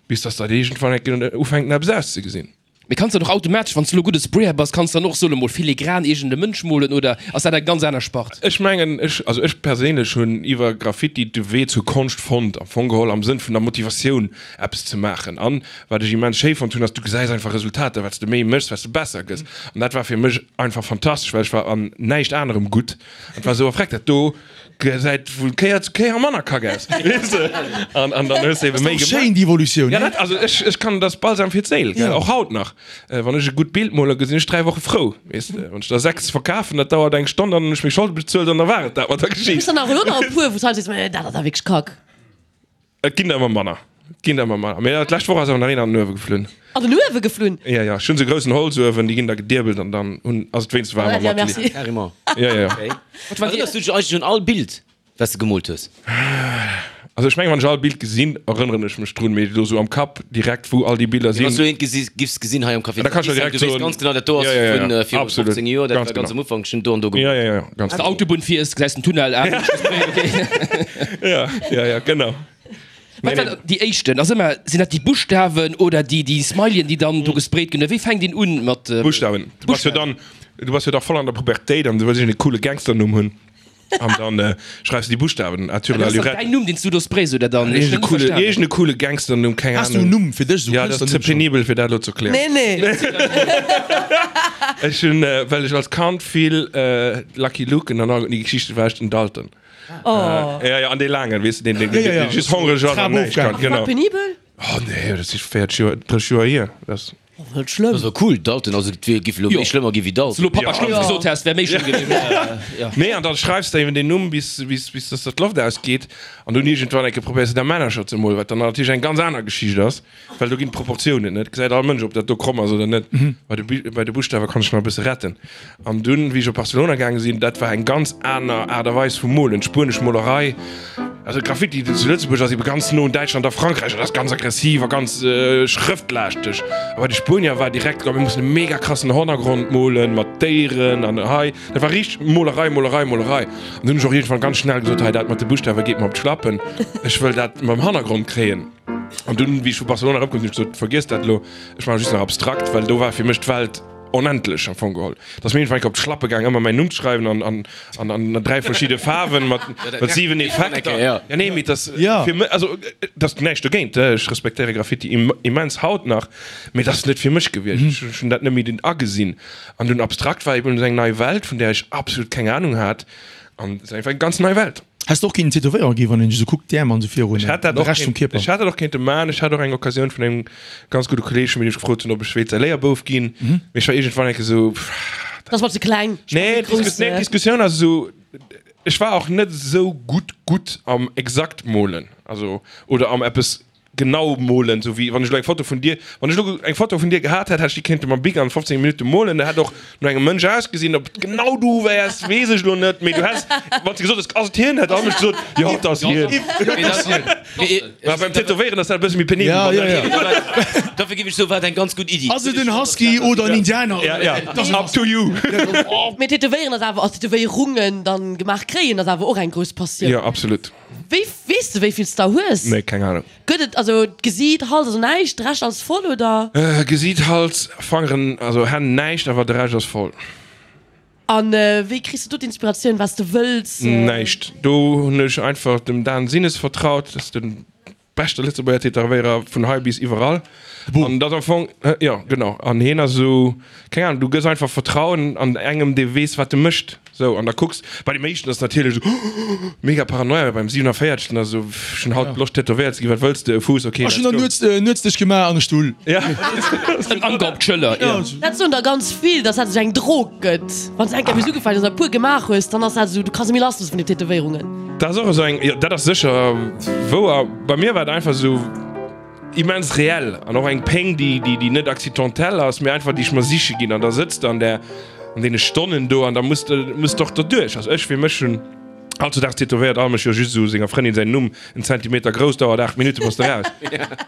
bis dass dat iergendwann eng Kéier ufänkt eppes auszegesinn. Mee kanns dann och automatesch, wann s de lo gudde Sprayer bass, kanns dann och solle mol filigran iergend e Mënsch molen oder ass dat eng ganz aner Spart? Ech mengen, ech, also ech perséinlech hunn iwwer Graffiti de Wee zur Konscht fonnt, am Fong geholl am Sënn vun der Motivatioun eppes ze maachen. An wat ech immens schéi fonnt hunn, ass du gesäis einfach Resultater, wat s de méi méchs, wat s de besser gëss. An dat war fir mech einfach fantastesch, well ech war an näischt anerem gutt. An et war esou, oh freck, dat do gesäit vu Kéier zu Kéier manner kack aus, weess de? An, an dann hues de ebe méi gemaach. Schéin, déi Evolutioun, Ja, dat, also ech, ech kann, dat ass Balsam fir d'Séil, gell, och haut nach. Wann ech e gutt Bild molen, gesinn ech 3 Woche frou, weess de. Wann ech der 6 verkafen, dat dauert eng Stonn, dann hunn ech meng Scholde bezuelt an da war et dat mat der Geschicht. Hues dann awer elo nach e puer, wou s du halt sees, mä dat ass awer wierklech kack? Et ginn der ëmmer manner. Et ginn der ëmmer manner. Mee d'lescht Woch ass awer nach een an den Uewe geflunn. An den Uewe geflunn? Jo, jo. Ech hunn esou e groussen Holzuewen, déi ginn da gediebelt an dann hunn, ass et wéinst waarm am Ja, merci. Atelier. Carrément. Jo, jo. Okay. Erënners du dech eigentlech un all Bild, wat s de gemoolt hues? Also ech mengen, wann ech all Bild gesinn, erënneren ech mech drun, mee elo sou am Kapp direkt, wou all déi Biller Mee wann s sinn. du eent gesi giffs gesinn hei am Café Da kann ech der Saint-Vincent, direkt du wéisst soen, ganz genau, dat do ass jo, jo, vun jo, viru absolut, 15 Joer, dat ganz war ganz genau. am Ufank, ech hunn do an do Jo, gemoolt. jo, jo, ganz Wann s de genau. Autobunn fiers, gesäis den Tunnel, ah, okay. Ja, ja, ja, genau. Wat war déi éischten? Ass ëmmer, sinn dat déi Buschtawen oder déi, déi Smileyen, déi dann do gesprayt ginn? Oder wéi fänkt een un mat. Buschtawen. Du bass jo dann, du bass jo da voll an der Pubertéit an du wëlls iergend e coole Gangsternumm hunn. An dann äh, schreifs du déi Buschtawen. Arthur Dat ass dann Lalurette. däin Numm, deen s du do sprays oder dann? Ech Iergend e hunn net coole, verstanen. iergend e coole Gangsternumm, keng Has du en Ahnung. Numm fir dech, esou Ja, dat ass ze Kënschtlernumm schonn? penibel fir dat elo ze erklären. Nee, nee. Ech hunn, äh, well ech als Kand vill äh, Lucky Luken an all déi Geschichte war ech den Dalton. Oh. Ja, ja, an dee laangen, weess de, deen, deen, Ja, ja, ja. deen just hongreg ass an Trap näischt kann. ofgaangen. War Genau. penibel? Oh nee, dat si 40 Joer, 30 Joer hier. Dat. Oh, net schlëmm. Dat war cool, Dalton, also et wier giff elo méi schlëmmer gi wéi Wann s du Dalton. elo Papa Schlumpf Ja. gesot häss, wär méi schlëmm gewiescht. Ja. Nee, an dann schreifs de eben deen Numm, bis, bis, bis dass der d'Loft ausgeet. An dunn iergendwann eng Kéier probéiers de da Männercher ze molen, wat dann natierlech eng ganz aner Geschicht ass, well do ginn d'Proportiounen net. Gesäit all Mënsch, ob dat do kromm ass oder net. Bei de, bei de Buschtawe kann ech nach e bësse retten. An dunn, wéi ech op Barcelona gaange sinn, dat war eng ganz aner Aart a Weis vum Molen, d'spuenesch Molerei, also Graffiti zu Lëtzebuerg ass ebe ganz no un Däitschland a Frankräich, dat ass ganz aggressiv a ganz schrëftlaaschteg. A bei de Spuenier war direkt, oh mir mussen e mega krassen Hannergrond molen mat Déieren an hei, dat war richteg Molerei, Molerei, Molerei. An dunn hunn ech och iergendwann ganz schnell gesot, hei dat mat de Buschtawe geet mer op d'Schlappen, ech wëll dat mam Hannergrond kréien. An dunn, wéi ech vu Barcelona erëmkomm sinn, hunn ech gesot, vergiess dat elo, ech maache just nach abstrakt, well do war fir mech d'Welt, Onendlech am Fong geholl. Et ass mir iergendwann op d'Schlappe gaang, ëmmer mäin Numm ze schreiwen an, an, an, an 3 verschidde Faarwen mat, mat 7 Effekter. Ja. Ja, nee, mee dat Ja. fir mech, also et ass näischt dogéint, ech respektéiere Graffiti im, immens haut nach, mee dat ass net fir mech gewiescht. Ech hunn dat net méi agesinn. An dunn abstrakt war eben esou eng nei Welt, vun där ech absolut keng Ahnung hat. An et ass einfach eng ganz nei Welt. Häss de och kéinten Tätowéierer ginn, wann een dech esou kuckt, d'Äerm an esou virun, Ech hätt dat de och Rescht vum kéint, Kierper? ech hätt dat och kéinte man. Ech hat och eng Occasioun vun engem ganz gudde Kolleeg vun mir, dee mech gefrot hunn, ob ech wéilt säi Léierbouf ginn. Mee ech war iergendwann eng Kéier esou, pff, Dat ass mer ze kleng. Ech Nee, brauch méi d'Diskus, nee, grouss. d'Diskussioun ass esou, ech war och net esou gutt gutt am exakt molen, also oder am eppes Genau molen, sou wéi wann ech elo eng Foto vun dir, wann ech elo eng Foto vun dir gehat hätt, hätt ech déi kéinte mam Bic an 15 Minutte molen, dat hätt och no engem Mënsch ausgesinn. Ob et genau du wäers, weess ech elo net, mee du häss, wann s de gesot häss, ass et hien, hätt all Mënsch gesot, jo, et ass hien. Mä beim Tätowéieren ass dat e bësse méi penibel. Ja, ja, ja. Dofir géif ech soen, war et eng ganz gutt Iddi. Ass et en Husky oder en Indianer? Ja, ja, up to you. Mee Tätowéieren ass awer, also Tätowéierungen dann gemaach kréien, ass awer och eng grouss Passioun. Jo, absolut. Wéi, weess de wéi vill s der hues? Nee, keng Ahnung. Gëtt et, also Gesiit, Hals, also näischt, de Rescht alles voll oder? Gesiit, Hals, Fangeren, also Hänn näischt, awer de Rescht ass voll. An wéi kriss de do d'Inspiratioun wat s de wëlls? Näischt, do hunn ech einfach dem Dan Sinnes vertraut, dat ass de beschte Lëtzebuerger Tätowéierer vun hei bis iwwerall. An dat am Fong, jo genau, an hien ass esou, keng Ahnung, du gëss einfach Vertrauen an engem dee weess wat e mécht. Sou, an da kucks, bei deem éischten ass natierlech esou mega Paranoia, beim 47. ass esou, ech hunn haut Loscht tätowéiert ze ginn, wat wëlls de, e Fuuss, ok, Ech let's hunn der go. nuets, nuets dech gemaach an e Stull. Ja. En Anker op d'Schëller, jo. Dat soen der ganz vill, dass dat esou eng Drog gëtt. Wann s de eng Kéier bis ugefaangen hues an e puer gemaach hues, dann ass dat esou, du kanns net méi lass loosse vun den Tätowéierungen. Dat ass och esou eng, jo, dat ass sécher wouer. Bei mir war et einfach esou immens reell an och eng Péng, déi, déi, déi net accidentell ass, mee einfach déi ech mer siche ginn. An da sëtz de an där. an deene Stonnen do an da muss de muss de och derduerch. Also ech fir mech hunn hautzudags tätowéiert all mech jo just esou senger Frëndin säin Numm en Zentimeter grouss, dauert 8 Minutte bass de raus.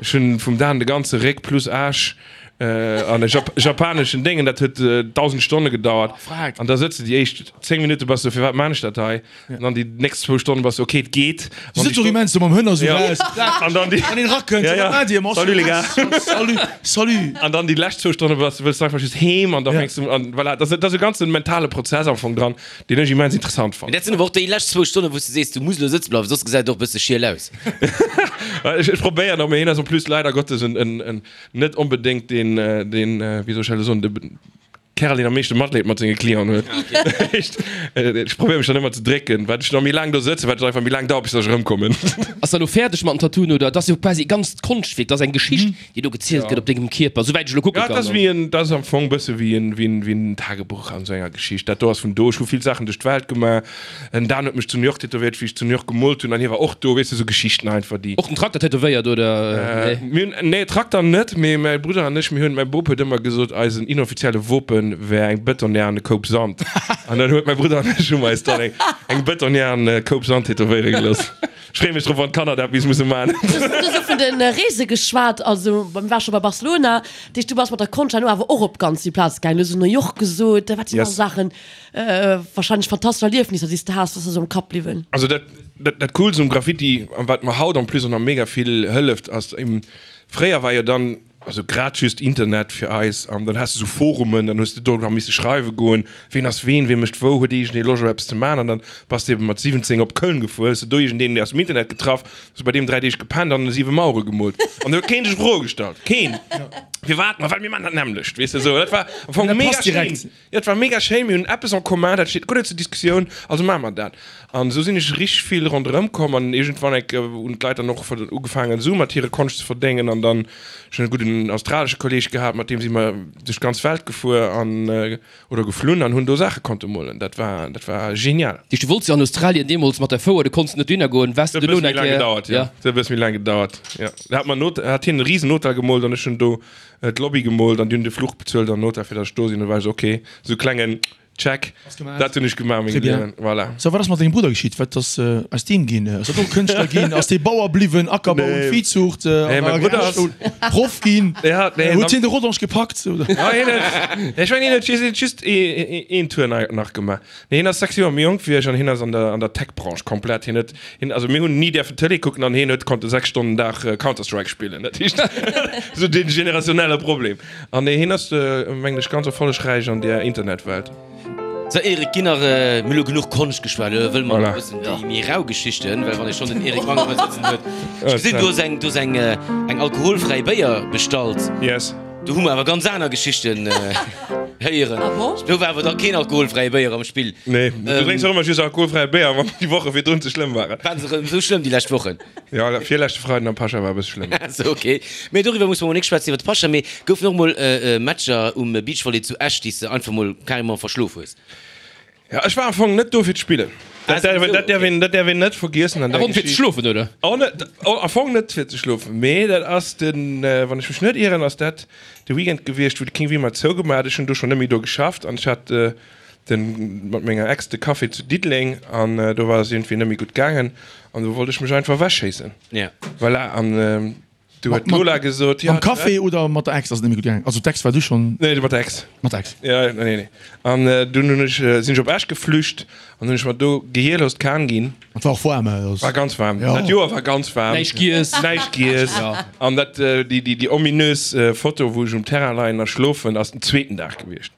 Ech hunn vum Dan de ganze Réck plus Aarsch an e japaneschen Déngen, dat huet 1.000 Stonne gedauert an da sëtze déi éischt 10 Minutte bass du firwat maan ech dat hei? An dann déi nächst zwou Stonnen bass du ok, et geet. Du sëtz och immens do mam Hënner sou raus. An dann déi. Wann een erakënnt, Ja, ja. wat maacht dir? Ma Salut les gars. Salut, salut. An dann déi lescht zwou Stonne bass du wëlls du einfach just heem an da Ja. fänks du an voilà, dat ass dat ass e ganze mentale Prozess am Fong dran, deen ech immens interessant Mee fannen. dat sinn awer och déi lescht zwou Stonnen, wou s du sees, du muss elo sëtze bleiwen, soss gesäit et och e bësse schiel aus. Ech ech probéieren och, mee hien ass en plus leider Gottes en en en net onbedéngt deen deen wéi soll ech dat elo soen, de Kerl deen am meeschte Matleed mat senge Clienten huet. Ech probéiere mech dann ëmmer ze drécken, wat ech nach méi laang do sëtzen, wat et einfach méi laang dauert bis dass ech erëmkommen. Ass der elo fäerdeg mat den Tattooen oder? Et ass jo quasi e ganzt Konschtwierk, et ass eng Geschicht déi do gezielt gëtt op dengem Kierper, souwäit ech elo kucke Ja, et ass kann. wéi en, et ass am Fong bësse wéi en, wéi en, wéi en Tagebuch an esou enger Geschicht. Dat do ass vun do. Ech hu vill Saachen duerch d'Welt gemaach. En Dan huet mech zu New York tätowéiert, wéi ech zu New York gemoolt hunn, an hie war och do. Weess de, esou Geschichten einfach, déi. Och den Trakter tätowéiert, oder? Mir hunn, nee, Trakter net, mee mäi Brudder an ech, mir hunn, mäi Bop huet ëmmer gesot, eisen inoffizielle Wopen wär eng Betonnière an e Koup Sand. An dann huet mäi Brudder an ech hu mer eis dann eng, eng Betonnière an e Koup Sand tätowéiere gelooss. Ech freeë mech drop, wann d'Kanner dat bis musse man. Du hues och vun de Reese geschwat, also mir ware scho bei Barcelona, dat heescht, du bass mat der Konscht herno awer och op ganz vill Plaze gaangen. Du hues New York gesot, wat sinn nach Saachen? Wahrscheinlech fantastesch Erliefnisser déi s de has, was der sou am Kapp bliwwen? Also dat dat coolst um Graffiti an wat mer haut en plus och nach mega vill hëlleft ass, fréier war jo dann also grad just Internet fir eis an dann has de sou Forumen, dann hues de do nach misse schreiwe goen, ween ass ween, wee mécht wou, huet iergendee Loscht op eppes ze man an dann bass de eben mat 17 op Köln gefuer, hues de do iergendeen aus dem Internet getraff, hues bei deem 3 Deeg gepennt an 7 Mauere gemoolt an do huet keen sech Froe gestallt, keen! Firwat? Ma well mir man dat nämmlecht, weess de sou, dat war am Fong mega schéin. Jo, et war mega schéin, mir hunn eppes en commun, dat steet guer net zur Diskussioun, also maache mer dat. An esou sinn ech richteg vill ronderëm komm an iergendwann eng Kéier hunn d'Leit dann och ugefaangen Sue mat hire Konscht ze verdéngen an dann, ech hunn e gudden australesche Kolleeg gehat, mat deem si mer duerch d'ganz Welt gefuer an, oder geflunn an hunn do Saache konnte molen, dat war, dat war genial. Du wollts jo an Australien deemools mat der Fouer, du konns net dohinner goen, waars Et du huet e dono bësse méi eng laang Kéier, gedauert, jo, ja. et huet e bësse méi laang gedauert, jo. Da hat mer en Hotel, hat hien e risen Hotel gemoolt an ech hunn do d'Lobby gemoolt an déi hunn de Fluch bezuelt an den Hotel fir datt ech do sinn. Du war ech esou ok, esou klengen Check, dat hunn ech gemaach a mengem Liewen, voilà. So, wat ass mat dengem Brudder geschitt? Wat ass aus deem ginn? Ass dat och Kënschtler ginn? Ass dee Bauer bliwwen, Ackerbau und Viehzucht, Nee, mäi Brudder ass. Proff ginn? Ja, nee. Huet hien de Rodange gepackt, oder? Ja, hien huet, ech mengen hien huet just een Tour nach gemaach. Nee, hien ass 6 Joer méi jonk wéi ech an hien ass an der, an der Tech-Branche komplett. Hien huet, hien, also mir hunn ni däerfen Tëlee kucken an hien huet konnte 6 Stonnen den Dag Counter-Strike spillen. Dat heescht, esou dee generationelle Problem. An nee, hien ass, mengen ech, ganz erfollegräich an där Internetwelt. Sou Eric, ginn nach, mir hu lo genuch Konscht geschwat, elo wëlle mer Voilà. nach e bëssen déi méi rau Geschichten, well wann ee schonn den Eric Manger hei sëtzen huet. Ech gesinn, du hues eng, du hues eng, eng alkoholfräi Béier bestallt. Yes. Do hu mer awer ganz aner Geschichten héieren. Ah bon? Do war awer da keen alkoholfräie Béier am Spill. Nee, du drénks och ëmmer just alkoholfräie Béier, wann déi Woche virdrun ze schlëmm waren. Waren se erëm esou schlëmm déi lescht Wochen? Jo, virleschte Freiden am Pascha war e bësse schlëmm. Sou, ok. Mee doriwwer musse mer mol nik schwätzen, iwwer de Pascha. Mee goufen och mol Matcher um Beachvolley zu Esch, déi s de einfach mol carrément verschlof hues? Ja, ech war am Fong net do fir d'Spillen. Dat däerf, dat däerf een, dat däerf een net vergiessen an der Am Fong fir ze Geschicht. schlofen, oder? Och net, oh, am Fong net fir ze schlofen, mee dat ass den, wann ech mech net ieren, ass dat de Weekend gewiescht, wou de King Wimmer zougemaach huet. Ech hunn do schonn net méi do geschafft an ech hat den, mat menger Ex de Café zu Diddeleng an do war et iergendwéi net méi gutt gaangen an do wollt ech mech einfach ewechschéissen. Ja. Voilà, an Du huet d'Lola gesot, jo. Mam Café oder mat der Ex ass et net méi gutt gaangen? Also d'Ex war du schonn? Nee, mat der Ex. Mat der Ex. Ja, nee, nee. An dunn hunn ech, sinn ech op Esch geflücht an hunn ech mer do Gehierlos d'Kan ginn. Et war och waarm, hä? War ganz waarm. Ja. Dat Joer war ganz waarm. Näischt giess. Näischt giess. Ja. An dat, déi, déi, déi ominös Foto, wou ech um Terrain leien a schlofen, ass den zweeten Dag gewiescht.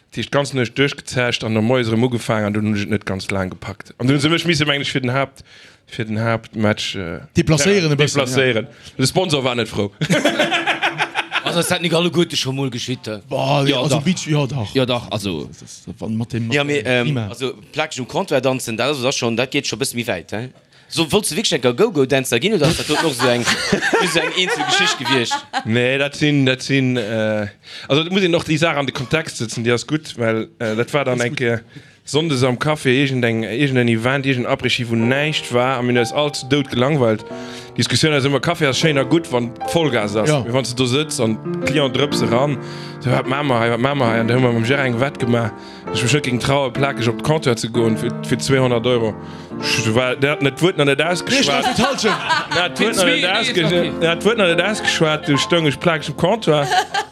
Dat heescht d'ganz Nuecht duerchgezecht an no moies erëm ugefaangen an dunn hunn ech et net ganz laang gepackt. An dunn hu se mech misse, mengen ech, fir den Haapt, fir den Haaptmatch Deplacéieren e bëssen, deplacéieren. De Sponsor war net frou. Also ass dat nik alleguerte scho mol geschitt? Bah, Jo, also dach. Beach, jo dach. Jo dach, also. Wann mat dem Ja, mee Klima. also plakeg um Comptoir danzen, dat ass schonn, dat geet scho bësse méi wäit, he? So, wollts de wierklech enker Go-Go-Dänzer ginn oder ass dat doten och esou eng, just esou eng eenzel Geschicht gewiescht? Nee, dat sinn, dat sinn, also et muss een och déi Saach an de Kontext sëtzen, déi ass gutt, well dat war dann eng Kéier sonndes am Café, iergendeng, iergendeen Event, iergendeen Après-Ski, wou näischt war a mir hunn eis all zu Doud gelangweilt. Diskussioun ass ëmmer, Café ass schéin a gutt, wann Vollgas ass, mee wann s de do sëtz an d'Client drëps eran, sou, wat maache mer hei, wat maache mer hei? An da hu mer mam Gérard eng Wett gemaach, dass ech mech net géing trauen, plakeg op de Comptoir ze goen fir 200 Euro. Ech war, deen hat net d'Wuert nach net ausgeschwat. Deen hat d'Wuert nach net ausge, deen hat d'Wuert nach net ausgeschwat, du stoung ech plakeg um Comptoir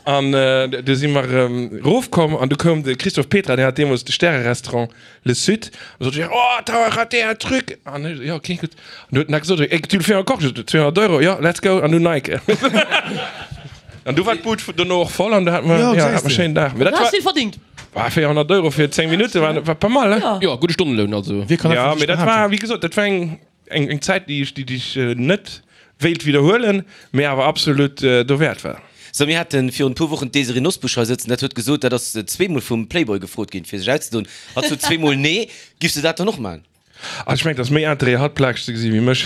an du si mer erofkomm an du koum de Christophe Petra, deen hat deemools de Stärerestaurant Le Sud, an sot, oh, t'as raté un truc! An ech, jo, ok, gutt. An du huet en da gesot, eh, tu le fais encore? Ech sot, 200 Euro, jo, let's go, an du Nike. An du war d'Bud dono och voll an du hat mer, jo, hat mer schéinen Dag. Mee dat Du war. has vill verdingt. War 400 Euro fir 10 Minutte war, war pas mal, hein? Ja. Jo, gudde Stonneloun also. Wie kann Ja, einfach mee sech dat war, behaapten? wéi gesot, dat war eng, eng, eng Zäit, déi ech, déi ech net wéilt widderhuelen, mee awer absolut dowäert war. So, mir haten virun e puer Wochen d'Désirée Nosbusch hei sëtzen, dat huet gesot, dat ass zweemol vum Playboy gefrot ginn, fir sech auszedoen. Hatt sot zweemol nee. Giffs de dat dann och maachen? Also ech mengen, et ass méi Interêt hatt plakeg ze gesi wéi mech.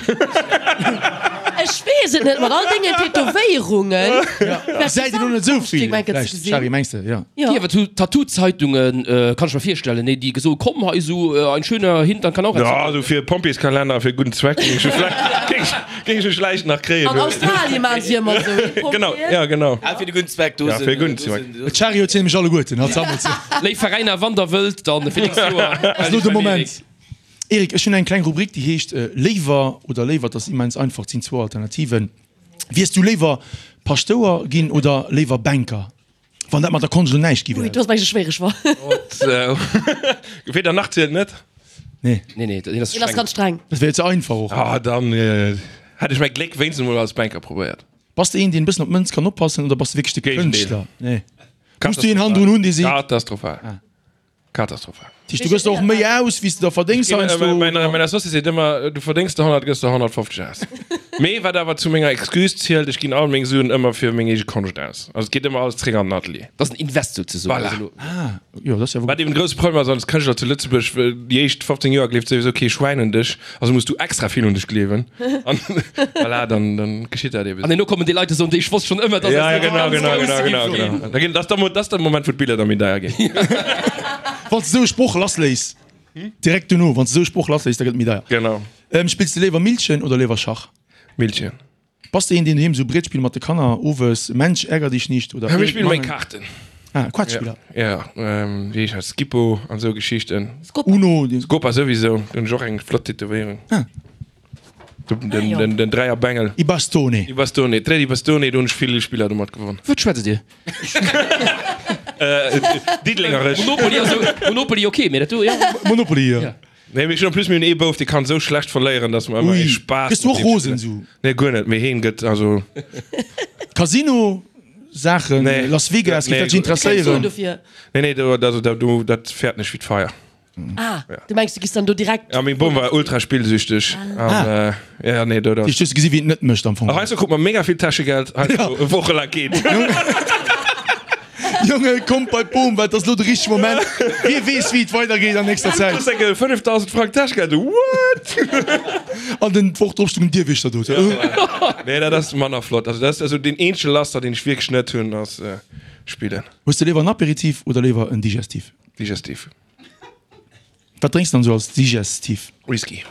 Ech weess et net, mat all dengen Tätowéierungen. Gesäit een och net esou vill vläicht, Shari, mengs de? Jo. Jo. Awer Tattoo-Zeitungen, kann ech mer virstellen, nee, déi gesoe komm hei esou ein schöner Hintern kann auch Ja, esou fir e Pompjeeskalenner a fir e gudden Zweck géing ech vläicht, géing ech mech vläicht nach kréien. An Australien maachen si ëmmer esou, ee Pompjee. Genau, ja genau. Ah, fir de gudden Zweck, do Ja, sinn, fir e gudden do Zweck. sinn, do sinn. D'Shari huet se nämlech alleguerten, hatt sammelt se. Léif Veräiner, wann der wëllt, dann fir nächst Joer. Ass elo de Moment. Eric, ech hunn eng kleng Rubrik, déi heescht Léiwer oder léiwer. Dat ass immens einfach, et sinn zwou Alternativen. Wiers du léiwer Paschtouer ginn oder léiwer Banker, wann dat mat der Konscht elo näischt gi Ui, wär? do ass meng schwéiereg Wa. Weder nach zielt net. Nee. Nee, nee, deen ass Deen ass streng. ganz streng. Dat wär jo ze einfach och. Ah, dann hätt ech mäi Gléck wéinstens emol als Banker probéiert. Bass de een, deen e bëssen op d'Mënz kann oppassen oder bass de wierklech de Géigendeel. Kënschtler? Nee. Muss du een hannendrun hunn, dee seet. Katastrophal. Katastrophal. Dat heescht, du gëss der och méi aus, wéi s de der verdéngs heiansdo? Mäin Associé seet ëmmer, du verdéngs der 100, gëss der 150 aus. Mee wat awer zu menger Excuse zielt, ech ginn all meng Suen ëmmer fir meng eege Konscht aus. Also et geet ëmmer alles zréck an den Atelier. Dat ass en Invest souzesoen. Voilà. Also elo. Ah, jo, dat ass jo. Wat eben de grousse Problem ass als Kënschtler zu Lëtzebuerg, déi éischt 15 Joer gleeft souwisou kee Schwäin un dech. Also muss du extra vill un dech gleewen. An voilà, dann, dann geschitt dat eben. An herno kommen déi Leit a soen, déi ech wosst schonn ëmmer, dass Ja, dat ja, genau, ganz genau, grouss genau, genau, géif ginn. genau. Da ginn, das ist der, das ist der Moment, wou d'Biller da méi deier ginn. Wann s de esou e Sproch lassléiss, direkt dono, wann s de esou e Sproch lassléiss, da gëtt et méi deier. Genau. Spills de léiwer Millchen oder léiwer Schach? Millchen. Bass de een deen doheem sou Brietspill mat de Kanner owes, Mensch ärger dich nicht oder Ja, mir spille méi Mangen? Kaarten. Ah, Quatschspiller. Ja, ja, wéi heescht dat, Skippo an esou Geschichten. Scopa. Uno. Dee. Scopa souwisou, do hunn ech och eng flott Tätowéierung. Ah. Den, den, den, den Dräierbengel. I Bastone. I Bastone, Tre di Bastone, do hunn ech vill Spiller domat gewonn. Wat schwätzt Dir? Diddelengeresch. Monopoly ass jo, Monopoly ok, mee dat do, ja. Monopoly, jo. Nee, mee ech hunn en plus, mir hunn ee Bouf, dee kann esou schlecht verléieren, dass mer ëmmer Ui, ee Spaass gëss du mat och deem rosen spillen. sou? Nee, guer net, mee heen gëtt also. Casino Saachen, Nee. Las Vegas, géif Nee, dat dech guer- Keng Suen interesséieren? dofir. Nee, nee, do, also, do, do, dat fäert nech wéi d'Feier. Ah, du mengs du giss dann do direkt. Ja, meng Bom war ultra spillsüchteg an, äh, ja, nee, do, dat. Hues du gesi wéi en et net mécht am Fong? Ach, heiansdo krut mer mega vill Täschegeld, heiansdo e Woche laang keent. Jonge, kommt bei d'Boom, well et ass elo de richtege Moment. Wie weess, wéi et weidergeet an nächster Zäit. Kriss eng 5000 Frank Täschgeld, what? An den d'Woch drop stoung en Dierwiechter do. Nee, dat ass manner flott. Also dat ass also deen eenzege Laster, deen ech wierklech net hunn, ass spillen. Hues de léiwer en Aperitif oder léiwer en Digestif? Digestif. Wat drénks de dann esou als Digestif? Whisky.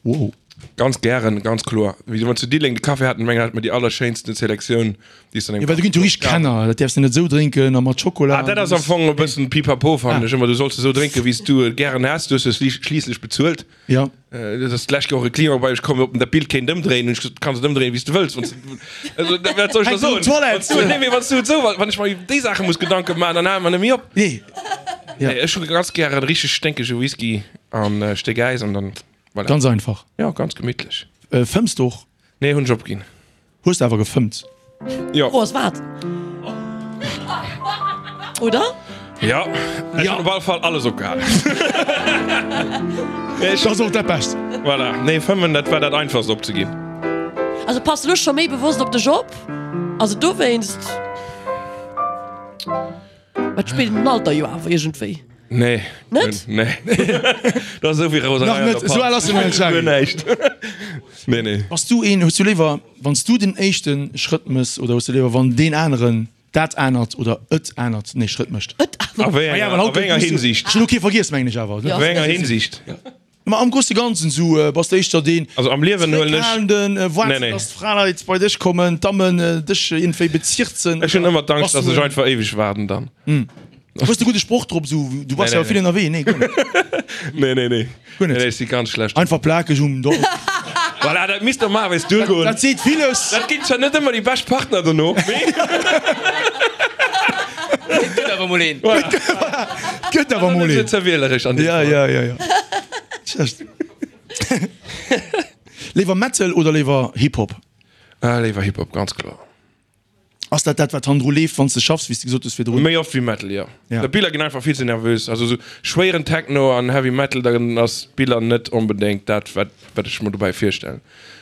Wow. Ganz gären, ganz kloer. Wéi mer zu Diddeleng de Café haten, mengen hat mer déi allerschéinsten Selektioun, déi s de an Jo, engem well do ginn et jo richteg Kenner, dat däerfs de net esou drénken a mat Schokola. Ah, dat ass am Fong e bëssen Pipapo, fannen ech ëmmer. Du solls esou drénken, wéi s du et gären häss. Du hues jo schliisslech bezuelt. Jo. Dat ass d'lescht Joer och e Client bei mech komm, ob en dat Bild kéint ëmdréien. Hunn ech gesot, du kanns et ëmdréien, wéi s du wëlls. Wann s du, also, wat soll ech da Hänkt un soen? d'Toilette. Wann s du, nee, mee wann s du et esou, wann ech mer iwwer déi Saache muss Gedanke maachen, dann hale mer net méi op. Nee. Nee, ech hu ganz gären richteg sténkege Whisky an e Stéck Äis an dann, voilà. Ganz einfach. Jo, ganz gemittlech. Fëmms de och? Nee, hunn ech opginn. Hues de awer gefëmmt? Jo. Oh, ass wat? Oder? Jo, ech hunn op alle Fall alles opgehalen. Dat ass och dat Bescht. Voilà, nee, fëmmen, dat war dat Einfachst opzeginn. Also pass de lo scho méi bewosst op dech op? Also dowéinst? Wat spillt den Alter jo awer iergendwéi. Nee. Net? Nee. Dat ass esou wéi Roserei Nach an net, der esou al ass en nach net, Jari. Guer näischt. Nee, nee. Bass du een, hues du léiwer, wann s du den éischte Schrëtt mëss oder hues du léiwer, wann deen aneren dat anert oder et anert nee Schrëtt mécht? Et anert. A wéi Ah ja, enger, well a haut wéi enger muss du- Hinsicht? Ech hunn elo kee vergiess, mengen ech awer. Ja. A wéi enger Hinsicht? Ma am grousse Ganzen sou bass de éischter deen Also am Liewen huelen ech. Zréckhalenden, Nee, waarts nee. dass d'Fraleit bei dech kommen, d'Dammen dech iergendwéi bezirzen Ech hunn oder ëmmer d'Angscht, bass dass du ech en. einfach éiweg waarden dann. Hues de gudde Sproch drop sou, du Nee, bass nee, jo vill nee. ënnerwee? Nee, guer net. Nee, nee, nee. Guer net. Nee, nee, ech si ganz schlecht. Einfach plakeg um Dorf. Voilà, dat misst der maachen, wéis duergoen. Dat seet villes. Dat ginn zwar net ëmmer déi bescht Partner dono, mee. Et gëtt awer mol een. Voilà. Et gëtt awer mol Net een. ze wieleresch an deem Ja, Fall. ja, ja, ja. Schlecht. Léiwer Metal oder léiwer Hip-Hop? Ah, léiwer Hip-Hop, ganz kloer. Ass dat dat, wat hannendru leeft, wann s de schaffs, wéi s de gesot hues virdrun? Méi oft wéi Metal, jo. Ja. D'Biller ginn einfach vill ze nervös. Also sou schwéieren Techno an Heavy Metal, dann ass d'Biller net onbedéngt dat, wat wat ech mer dobäi virstellen.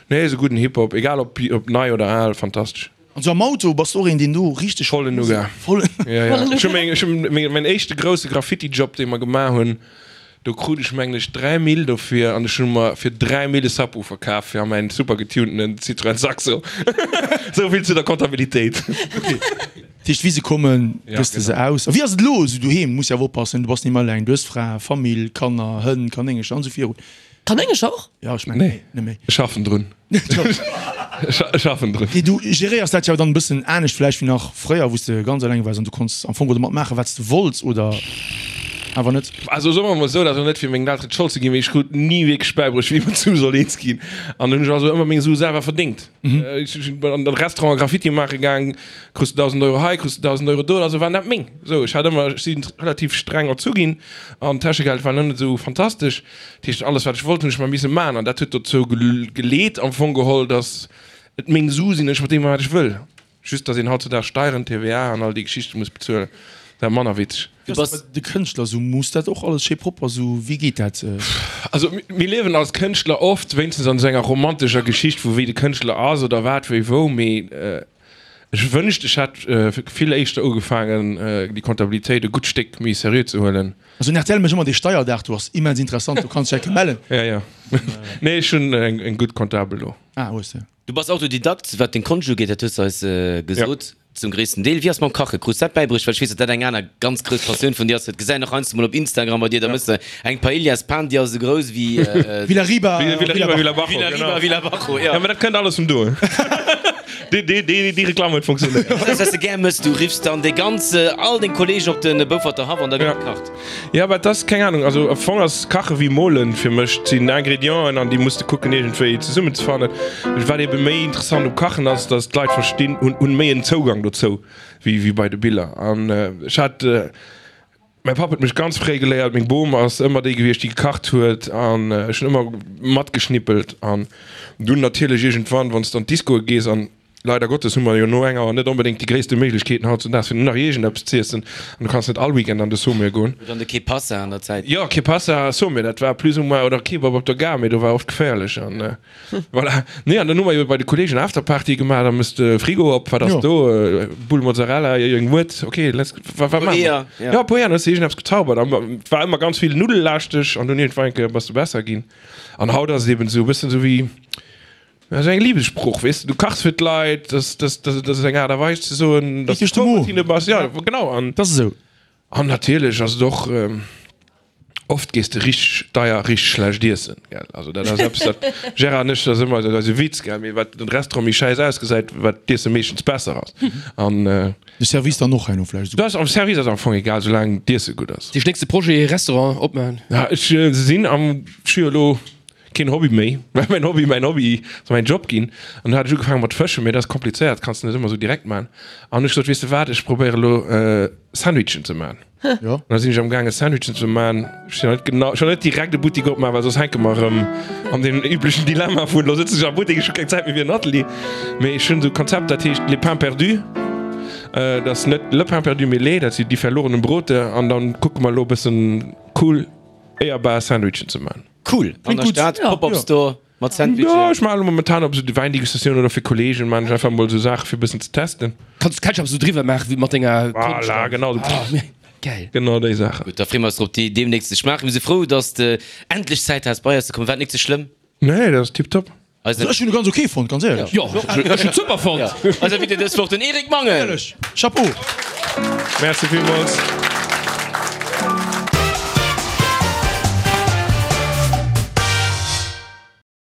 Nee, sou gudden Hip-Hop, egal ob ob nei oder al, fantastesch. An sou am Auto, bass de och een, deen do richteg. Vollen Nougat. Vollen. Ja, ja. Ech hu meng, ech hu meng, mäin éischte grousse Graffiti-Job, dee mer gemaach hunn, Do krut ech mengen ech 3 Mille dofir an ech hu mer fir 3 Mille e Subwoofer kaf fir a mäin super getunetenen Citroën Saxo. Esou vill zu der Comptabilitéit. Dat heescht, wéi se kommen, gëss de se aus. A wéi ass et elo esou doheem? Muss jo awer oppassen, du bass ni méi eleng, du hues Fra, Famill, Kanner, Hënn, Kanéngercher an esou virun. Kanéngercher och? Jo, ech mengen, net méi. Ech schaffen drun. Ech schaffen drun. Nee, du geréiers dat jo dann e bëssen anescht vläicht wéi nach fréier, wou s de ganz eleng waars an du konns am Fong domat maachen, wat s de wollts, oder awer net? Also soe mer emol esou, dat ass elo net fir mengen Elteren d'Schold ze ginn, mee ech krut ni wierklech bäibruecht, wéi ee mat Sue soll eens ginn. An hunn ech also ëmmer meng Sue selwer verdéngt. Ech sinn an de Restaurant Graffiti maache gaang, krus de 1.000 Euro hei, krus de 1.000 Euro do, also waren dat meng. Esou, ech hat ëmmer, ech si relativ streng erzu ginn an d'Täschegeld war net esou fantastesch. Dat heescht, alles wat ech wollt, hunn ech mer misse maachen an dat huet dozou geleet am Fong geholl, datt et meng Su sinn, ech mat deem maachen wat ech wëll. Just datt een hautzudags Steieren, TVA an all déi Geschichte muss bezuelen, dat manner witzeg. Du bass de Kënschtler, sou muss dat och alles schéi propper, sou wéi geet dat? Also mir liewen als Kënschtler oft wéinstens an esou enger romantescher Geschicht vu wéi de Kënschtler ass oder wat wéi wou, mee Ech wënscht ech hätt vill éischter ugefaangen déi Comptabilitéit e gutt Stéck méi seriö ze huelen. Also den rtl mécht ëmmer dee Steierdag, do ass immens interessant, do kanns dech enke mellen. Ja, ja. Nee, ech hunn eng gutt Comptabel do. Ah, hues de. Du bass Autodidakt, wat deng Konscht ugeet, dat hues de eis gesot. Zum gréissten Deel. Wéi ass mam Kache? Krus dat bäibruecht? Well ech weess, datt dat eng aner ganz grouss Passioun vun dir ass. Dat gesäit een och heiansdo mol op Instagram bei dir. Da méchs de eng Paellas-Pan, déi ass esou grouss wéi. Villa Riba, Villa Riba, Villa Riba, Villa Bajo, ja. Ja, mä dat kënnt alles vun do. Déi, déi, déi, déi Reklamm huet funktionéiert. Dat ass, wat s de gär mëss. Du riffs dann dee ganze, all deng Kolleegen op de Bouferter Haff an da gëtt gekacht. Ja, mä et ass, keng Ahnung, also am Fong ass Kache wéi Molen fir mech. Et sinn Ingredienten an déi muss de kucken iergendwéi zesummenzefannen. Wat ebe méi interessant um Kachen ass, datt d'Leit verstinn, hunn, hunn méi en Zougang dozou wéi, wéi bei de Biller. An ech hat, mäi Papp huet mech ganz fréi geléiert, meng Bom ass ëmmer déi gewiescht, déi gekacht huet an ech hunn ëmmer matgeschnippelt. An dunn natierlech iergendwann, wann s de an d'Discoe gees an Leider Gottes hu mer jo no enger net onbedéngt déi gréisste Méiglechkeeten hautzudags fir nach iergendeppes z'iessen an du kanns net all Weekend an de Sommet goen. Oder an de Que Pasa an der Zäit. Jo, Que Pasa, Sommet, dat war plus ou moins, oder Kebab op der Gare, mee do war oft geféierlech an voilà. Nee, an dann hu mer jo bei de Kollegen Afterparty gemaach, da mëss de Frigo op, wat ass do, Bull Mozzarella, eng Wuert, ok, let's, wa wat maache mer? Jo, e puer Eeër, dann hues de iergendeppes gezaubert an et war ëmmer ganz vill Nuddellaaschtesch an dunn iergendwann eng Kéier bass de besser ginn an haut ass et eben esou e bëssen esou wéi. Dat ass eng Liebessprooch, weess de, du kachs fir d'Leit, dat ass eng Aart a Weis ze soen, datt s du frou mat hinne bass. Ja, genau. An Dat ass esou. An natierlech ass et och, oft gees de richteg deier, richteg schlecht iessen, gell. Also dat ass eppes, dat Gérard an ech, dat ass ëmmer eise Witz, gell, mee wat den Restaurant méi schäiss ausgesäit, wat d'Iesse meeschtens besser ass. An. De Service dann och herno vläicht esouguer. Dat ass am Service ass am Fong egal, soulaang d'Iesse gutt ass. Dee nächste Projet, Restaurant opmaachen? Ja, ech sinn am, ech hu jo elo Keen Hobby méi, well mäin Hobby mäin Hobby ass mäin Job ginn. An du hat ech ugefaange mat fëschen, mee dat ass komplizéiert, kanns de net ëmmer esou direkt man. An hu ech gesot, weess de wat, ech probéiere elo Sandwichen ze man. Jo. An da sinn ech am gaange Sandwichen ze man. Ech sinn net genau, ech wëll net direkt e Buttik opman, well soss hänke mer erëm an deem üblechen Dilemma vun, elo sëtzen ech am Buttik, ech hu keng Zäit méi fir en Atelier. Mee ech hunn esou e Konzept, dat heescht Les Pains Perdus. Dat ass net Le Pain Perdu, mee Les, dat si Die verlorenen Brote. An da kucke mer elo e bëssen cool éierbar Sandwichen ze man. Cool, an der Stad, Pop-up Store mat Sandwichen. Jo, ech maachen elo momentan op esou de Wäindegustatiounen oder fir Kollegen maachen ech einfach mol esou Saache fir e bëssen ze testen. Kanns du Ketchup esou driwwer maachen wéi mat denger Konscht? Voilà, genau esou. Geil. Genau déi Saachen. Gutt, da freeë mer eis drop déi deemnächst ze schmaachen. Mir si frou, dass de endlech Zäit has bei eis ze kommen. War et nik ze schlëmm? Nee, dat ass tiptop. Eisen. Ech hunn e ganz ok fonnt, ganz éierlech. Jo, ech hunn et super fonnt. Eis Invité dës Woch, den Eric Mangen. Éierlech, Chapeau! Merci villmools.